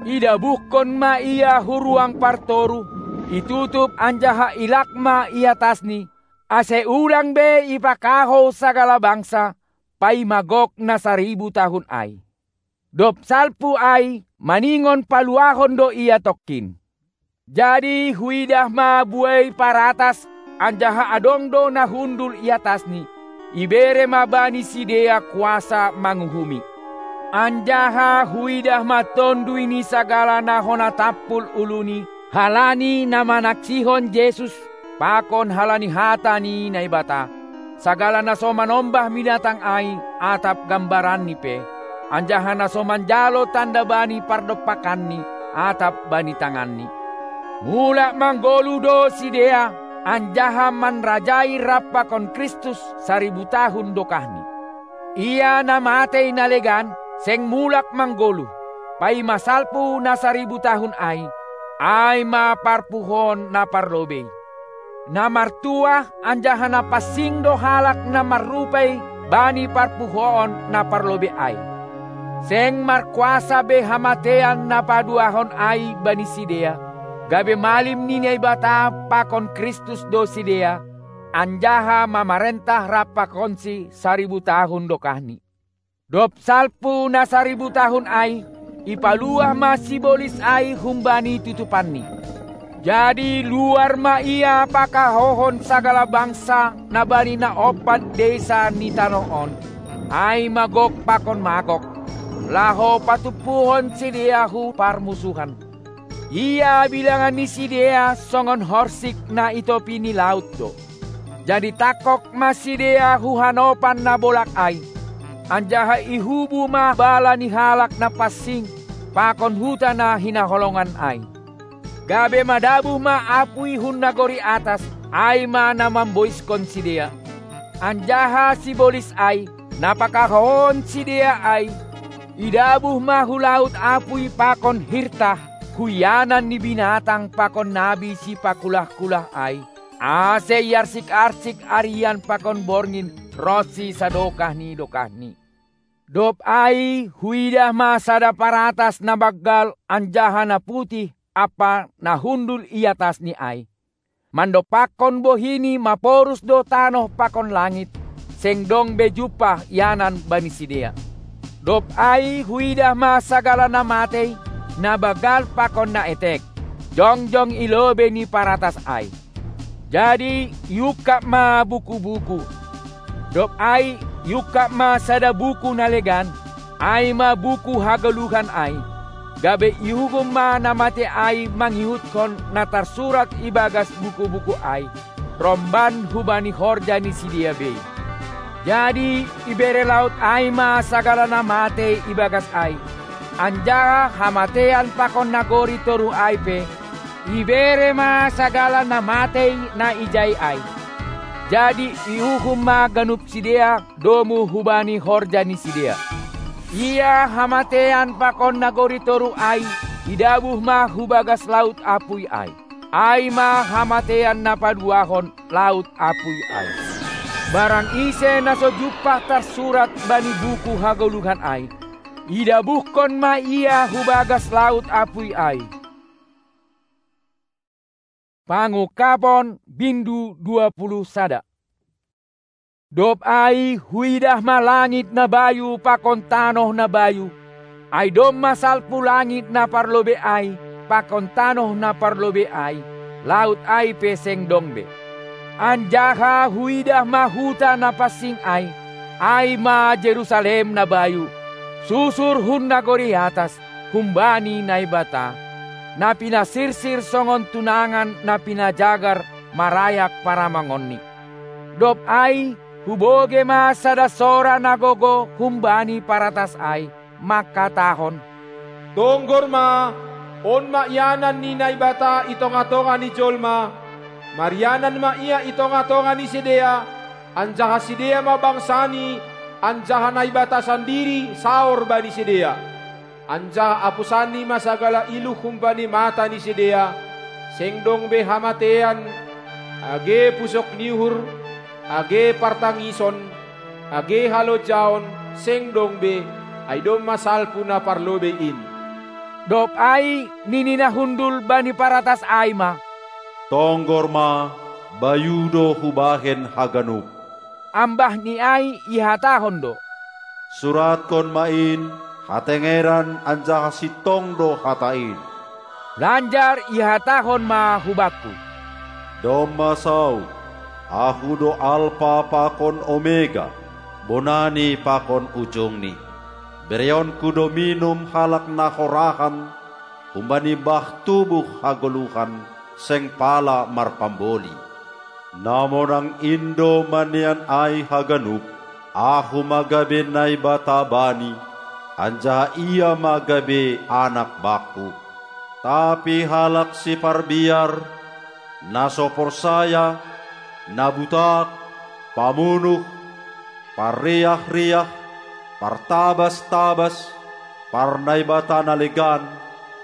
Idabuhkon ma ia hu ruang partoruh, itutup anjaha ilak ma i atasni, ase ulang be ipakahou sagala bangsa, paima gok na saribu tahun ai. Dob salpu ai, maningon paluahon do ia tongkin. Jadi huidah ma buei paratas, anjaha adong do na hundul i atasni, ibere ma bani sidea kuasa manguhumi. Anjaha huidah ma tonduy ni sagala na hona tampul uluni, halani na manaksihon Jesus, pakon halani hata ni Naibata, sagala na so manombah binatang ai atap gambaranni pe, anjaha na so manjalo tanda bani pardompakanni atap bani tanganni. Mulak manggoluh do sidea, anjaha manrajai rap pakon Kristus saribu tahun dokahni. Ia na matei na legan, seng mulak manggoluh, paima salpu na saribu tahun ai, ai ma parpuhoon na parlobei. Na martuah anjaha na pansing do halak na marrupei bani parpuhoon na parlobei ai. Seng markuasa be hamatean na paduahon ai bani sidea, gabe malim ni Naibata pakon Kristus do sidea, anjaha mamarentah rap pakonsi saribu tahun dokahni. Dob salpu na saribu tahun ai, ipaluah ma sibolis ai humbani tutupanni. Jadi luar ma ia pakahohon sagala bangsa na bani na ompat deisa ni tanoh on, ai ma Gog pakon Magog, laho patumpuhon sidea hu parmusuhan. Ia bilangan ni sidea songon horsik na i topi ni laut do. Jadi tangkog ma sidea hu hanopan na bolak ai, anjaha ihubu ma bala ni halak na pansing pakon huta na hinaholongan ai. Gabe madabuh ma apuy hun nagori atas, ai ma na mamboiskon sidea. Anjaha sibolis ai, na pakahouhon sidea ai, idabuh ma hu laut apuy pakon hirtah, hu ianan ni binatang pakon nabi sipakulah-kulah ai, ase iarsik-arsik arian pakon borngin ronsi sadokah ni dokahni. Dob ai huidah ma sada paratas na banggal anjaha na putih ampa na hundul i atasni ai. Mandompakkon bohini maporus do tanoh pakon langit, seng dong be jumpah ianan bani sidea. Dob ai huidah ma sagala na matei, na banggal pakon na etek, jongjong i lobei ni paratas ai. Jadi iungkab ma buku-buku. Dob ai iungkab ma sada buku na legan, ai ma buku hagoluhan ai. Gabe iuhum ma na matei ai mangihutkon na tarsurat ibagas buku-buku ai, romban hubani horja ni sidea bei. Jadi ibere laut ai ma sagala na matei ibagas ai, anjaha hamatean pakon nagori toruh ai pe, ibere ma sagala na matei na ijai ai. Jadi iuhum ma ganup sidea domu hubani horja ni sidea. Ia hamatean pakon nagori toruh ai idabuh ma hu bagas laut apuy ai. Ai ma hamatean na paduahon laut apuy ai. Barang ise na so jumpah tarsurat bani buku hagoluhan ai, idabuhkon ma ia hu bagas laut apuy ai. Pangungkapon bindu dua puluh sada. Dob ai huidah ma langit na bayu pakon tanoh na bayu, ai domma salpu langit na parlobei ai pakon tanoh na parlobei ai, laut ai pe seng dong be. Anjaha huidah ma huta na pansing ai, ai ma Jerusalem na bayu, susur hun nagori atas, humbani Naibata, na pinasirsir songon tunangan na pinajagar marayak paramangonni. Dob ai hubogei ma sada sora na gogo humbani paratas ai, mangkatahon: Tonggor ma, on ma ianan ni Naibata i tonga-tonga ni jolma, marianan ma Ia i tonga-tonga ni sidea, anjaha sidea ma bangsaNi, anjaha Naibata sandiri saor bani sidea. Anjaha apusanNi ma sagala iluh humbani mata ni sidea, seng dong be hamatean, age pusok ni uhur, age partangison, age halonjaon, seng dong be, ai domma salpu na parlobei in. Dob ai nini na hundul bani paratas ai ma: Tonggor ma, bayu do hubahen haganup. Ambahni ai ihatahon do: Suratkon ma in, hatengeran anjaha sintong do hata in. Lanjar ihatahon ma hubakku: Domma saut, Ahu do Alpa pakon Omega, bonani pakon ujungni. BereonKu do minum halak na horahan humbani bah tubuh hagoluhan seng pala marpamboli. Na monang in do manean ai haganup, Ahu ma gabe Naibata bani, anjaha ia ma gabe anak bakku. Tapi halak siparbiar, na so porsaya, na butak, pamunuh, parriah-riah, partabas-tabas, parnaibata na legan,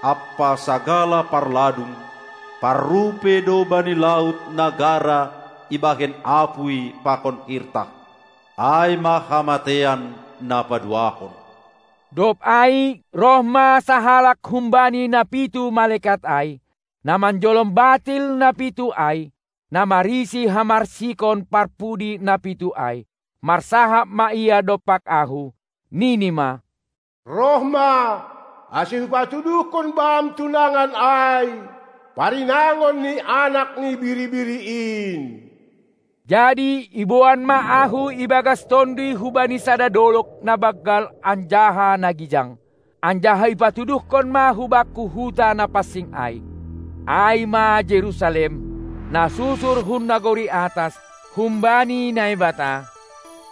ampa sagala parladung, parrupei do bani laut na gara ibahen apuy pakon hirtah. Ai ma hamatean na paduahon. Dob ai roh ma sahalak humbani na pitu malekat ai, na manjolom batil na pitu ai, na marisi hamarsikon parpudi na pitu ai, marsahap ma ia dompak ahu, nini ma: Roh ma, ase hupatuduhkon bam tunangan ai, parinangon ni Anak ni Biri-biri in. Jadi iboan ma ahu ibagas tonduy hubani sada dolok na banggal anjaha na gijang, anjaha ipatuduhkon ma hubakku huta na pansing ai, ai ma Jerusalem, na susur hun nagori atas, humbani Naibata,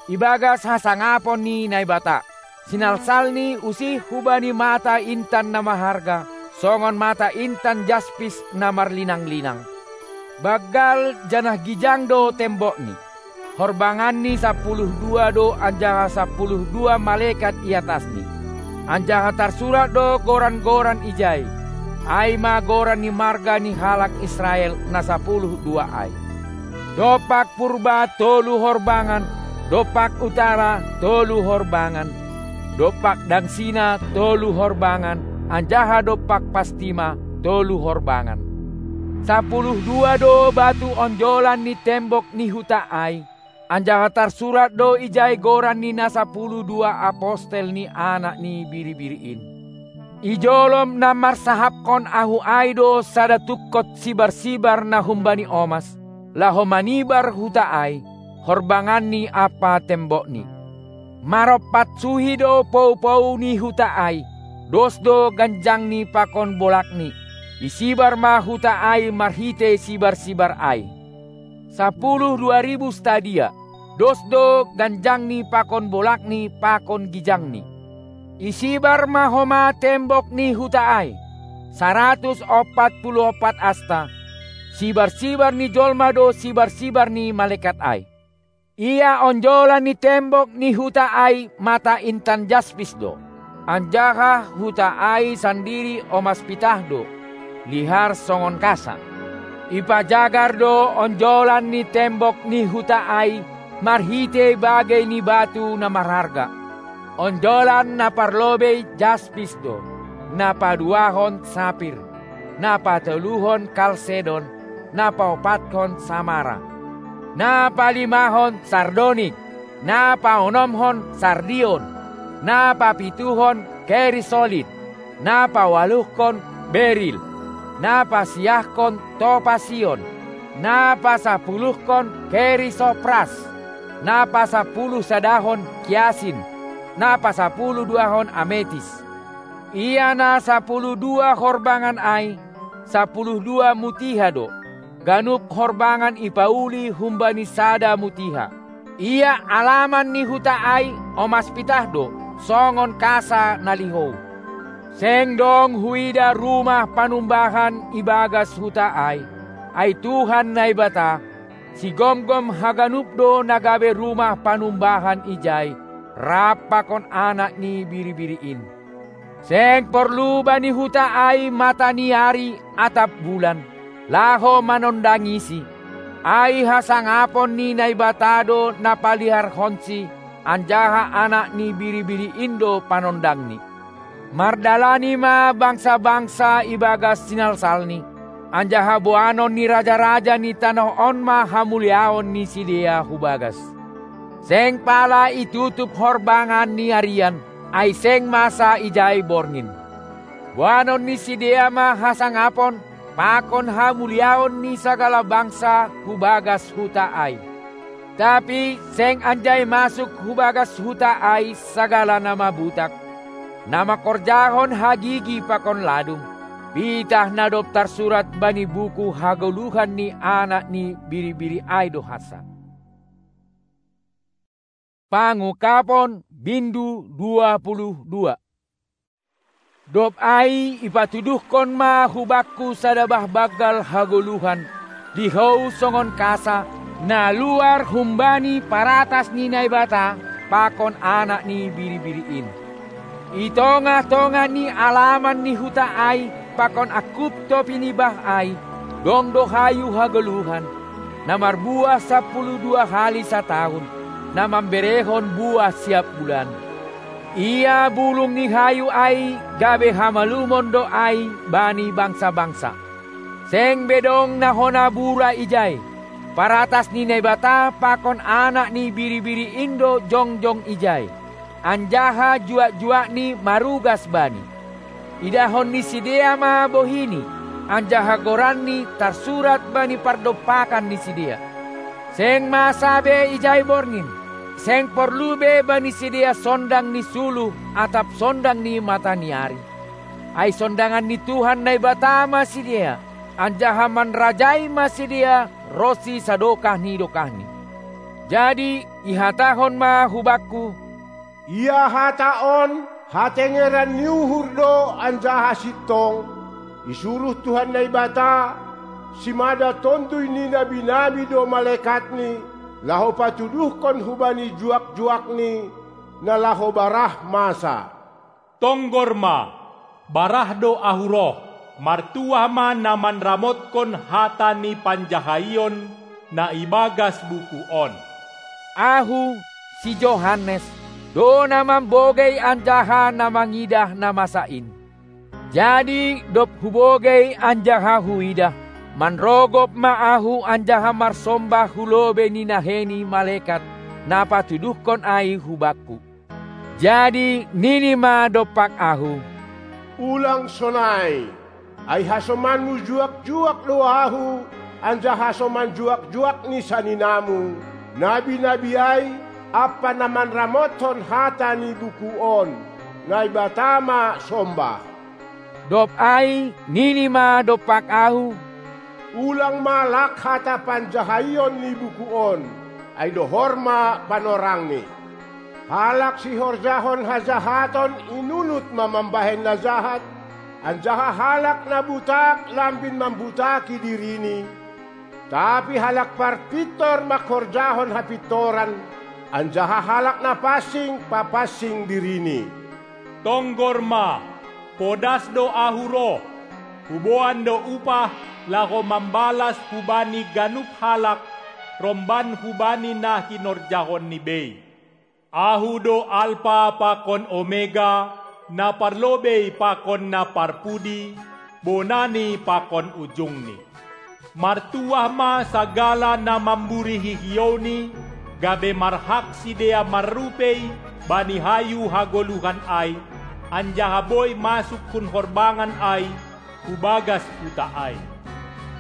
ibagas hasangapon ni Naibata. SinalsalNi usih hubani mata intan na maharga, songon mata intan jaspis na marlinang-linang. Banggal janah gijang do tembokni. Horbanganni sapuluh dua do anjaha sapuluh dua malekat i atasni. Anjaha tarsurat do goran-goran ijai, ai ma goran ni marga ni halak Israel na sapuluh dua ai. Dompak purba tolu horbangan, dompak utara tolu horbangan, dompak dangsina tolu horbangan, anjaha dompak pastima tolu horbangan. Sapuluh dua do batu onjolan ni tembok ni huta ai, anjaha tarsurat do ijai goran ni na sapuluh dua apostel ni Anak ni Biri-biri in. Ijolom na marsahapkon ahu ai do sada tungkot sibar-sibar na humbani omas, laho manibar huta ai, horbanganni ampa tembokni. Marompat suhi do pou-pou ni huta ai, dos do ganjangni pakon bolakni, isibar ma huta ai marhite sibar-sibar ai. Sapuluh dua ribu stadia, dos do ganjangni pakon bolakni pakon gijangni. Isibar ma homa tembok ni huta ai, saratus ompat puluh ompat asta, sibar-sibar ni jolma do sibar-sibar ni malekat ai. Ia onjolan ni tembok ni huta ai mata intan jaspis do, anjaha huta ai sandiri omas pitah do, lihar songon kasa. Ipajagar do onjolan ni tembok ni huta ai marhite bagei ni batu na marharga. Onjolan na parlobei jaspis do, na paduahon sapir, na patoluhon kalsedon, na paopatkon samara, na palimahon sardonik, na paonomhon sardion, na papituhon kerisolit, na paualuhkon beril, na pasiahkon topasion, na pasapuluhkon kerisopras, na pasapuluh sadahon kiasin, na pasapuluh duahon ametis. Ia na sapuluh dua horbangan ai, sapuluh dua mutiha do, ganup horbangan ipauli humbani sada mutiha. Ia alaman ni huta ai omas pitah do, songon kasa na lihou. Seng dong huida rumah panumbahan ibagas huta ai, ai Tuhan Naibata, sigomgom haganup do na gabe rumah panumbahan ijai, rap pakon Anak ni Biri-biri in. Seng porlu bani huta ai mata ni ari atap bulan, laho manondangisi, ai hasangapon ni Naibata do na paliharhonsi, anjaha Anak ni Biri-biri in do panondangni. Mardalani ma bangsa-bangsa ibagas sinalsalni, anjaha boanon ni raja-raja ni tanoh on ma hamuliaon ni sidea hubagas. Seng pala itutup horbangan ni arian, ai seng masa ijai borngin. Boanon ni sidea ma hasangapon pakon hamuliaon ni sagala bangsa hubagas huta ai. Tapi seng anjai masuk hubagas huta ai sagala na mabutak, na mangkorjahon hagigi pakon ladung, pitah na dob tarsurat bani buku hagoluhan ni Anak ni Biri-biri ai do hansa. Pangungkapon, bindu dua puluh dua. Dob ai ipatuduhkon ma hubakku sada bah banggal hagoluhan, lihou songon kasa, na luar humbani paratas ni Naibata pakon Anak ni Biri-biri in. I tongah-tongah ni alaman ni huta ai pakon angkup topi ni bah ai, dong do hayu hagoluhan, na marbuah sapuluh dua hali sataon, na mamberehon buah siap bulan. Ia bulung ni hayu ai gabe hamalumon do ai bani bangsa-bangsa. Seng be dong na hona bura ijai. Paratas ni Naibata pakon Anak ni Biri-biri in do jongjong ijai, anjaha juak-juakni marugas bani. Idahon ni sidea ma bohini, anjaha goranni tarsurat bani pardompakan ni sidea. Seng masa be ijai borngin, seng porlu be bani sidea sondang ni suluh atap sondang ni mata ni ari. Ai sondangan ni Tuhan Naibata ma sidea, anjaha manrajai ma sidea ronsi sadokah ni dokahni. Jadi ihatahon ma hubakku: Ia hata on hatengeran ni uhur do anjaha sintong, Isuruh Tuhan Naibata, simada Tonduy ni nabi-nabi do malekatni, laho patuduhkon hubani juak-juakni, na laho barah masa. Tonggor ma, barah do ahu roh, martuah ma na manramotkon hata ni panjahaion na ibagas buku on. Ahu, si Johannes, do na mambogei anjaha na mangidah na masa in. Jadi dob hubogei anjaha huidah, manrogop ma ahu anjaha marsombah hu lobei ni nahei ni malekat, na patuduhkon ai hubakku. Jadi nini ma dompak ahu: Ulang sonai, ai hasomanmu juak-juak do ahu, anjaha hasoman juak-juak ni saninamu, nabi-nabi ai, ampa na manramothon hata ni buku on, Naibata ma sombah. Dob ai nini ma dompak ahu: Ulang ma lak hata panjahaion ni buku on, ai dohor ma panorangni. Halak sihorjahon hajahaton inunut ma mambahen na jahat, anjaha halak na butak lambin mambutaki dirini, tapi halak parpintor manghorjahon hapintoran, anjaha halak na pansing papansing dirini. Tonggor ma, podas do ahu roh, huboan do upah laho mambalas hubani ganup halak romban hubani na hinorjahonni bei. Ahu do Alpa pakon Omega, na parlobei pakon na parpudi, bonani pakon ujungni. Martuah ma sagala na mamburihi hiouni, gabe marhak sidea marrupei bani hayu hagoluhan ai, anjaha boi masuk hun horbangan ai, hu bagas huta ai.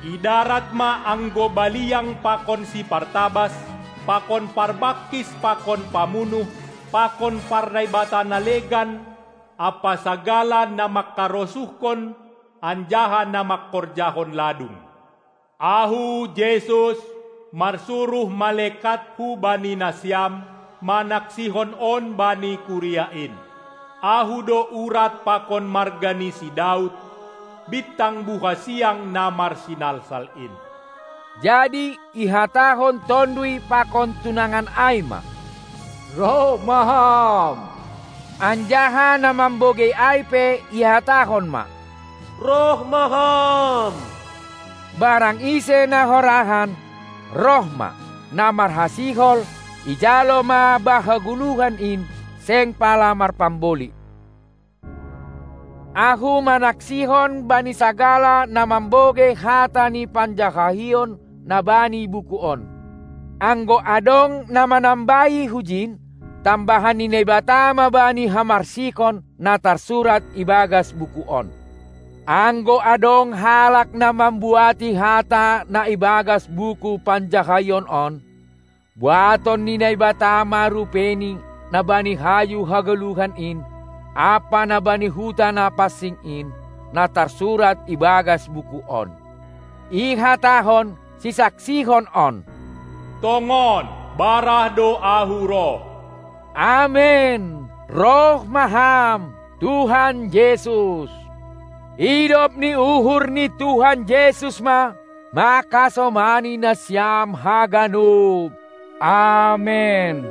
I darat ma anggo baliang pakon sipartabas, pakon parbangkis pakon pamunuh, pakon parnaibata na legan, ampa sagala na mangkarosuhkon anjaha na mangkorjahon ladung. Ahu, Jesus, marsuruh malekathu bani nasiam manaksihon on bani kuria in. Ahu do urat pakon marga ni si Daud, bintang buha siang na marsinalsal in. Jadi ihatahon Tonduy pakon tunangan ai ma: Roh ma Ham! Anjaha na mambogei ai pe ihatahon ma: Roh ma Ham! Barang ise na horahan, roh ma, na marhasihol, ijalo ma bah hagoluhan in, seng pala marpamboli. Ahu manaksihon bani sagala na mambogei hata ni panjahaion na bani buku on. Anggo adong na manambahi hujin, tambahan ni Naibata ma bani hamarsikon na tarsurat ibagas buku on. Anggo adong halak na mambuati hata na ibagas buku panjahaion on, buaton ni Naibata ma rupeini na bani hayu hagoluhan in, ampa na bani huta na pansing in, na tarsurat ibagas buku on. Ihatahon sisaksihon on: Tongon, barah do ahu roh. Amen! Roh ma Ham, Tuhan Jesus! Idop ni uhur ni Tuhan Jesus ma mangkasomani nasiam haganup. Amen.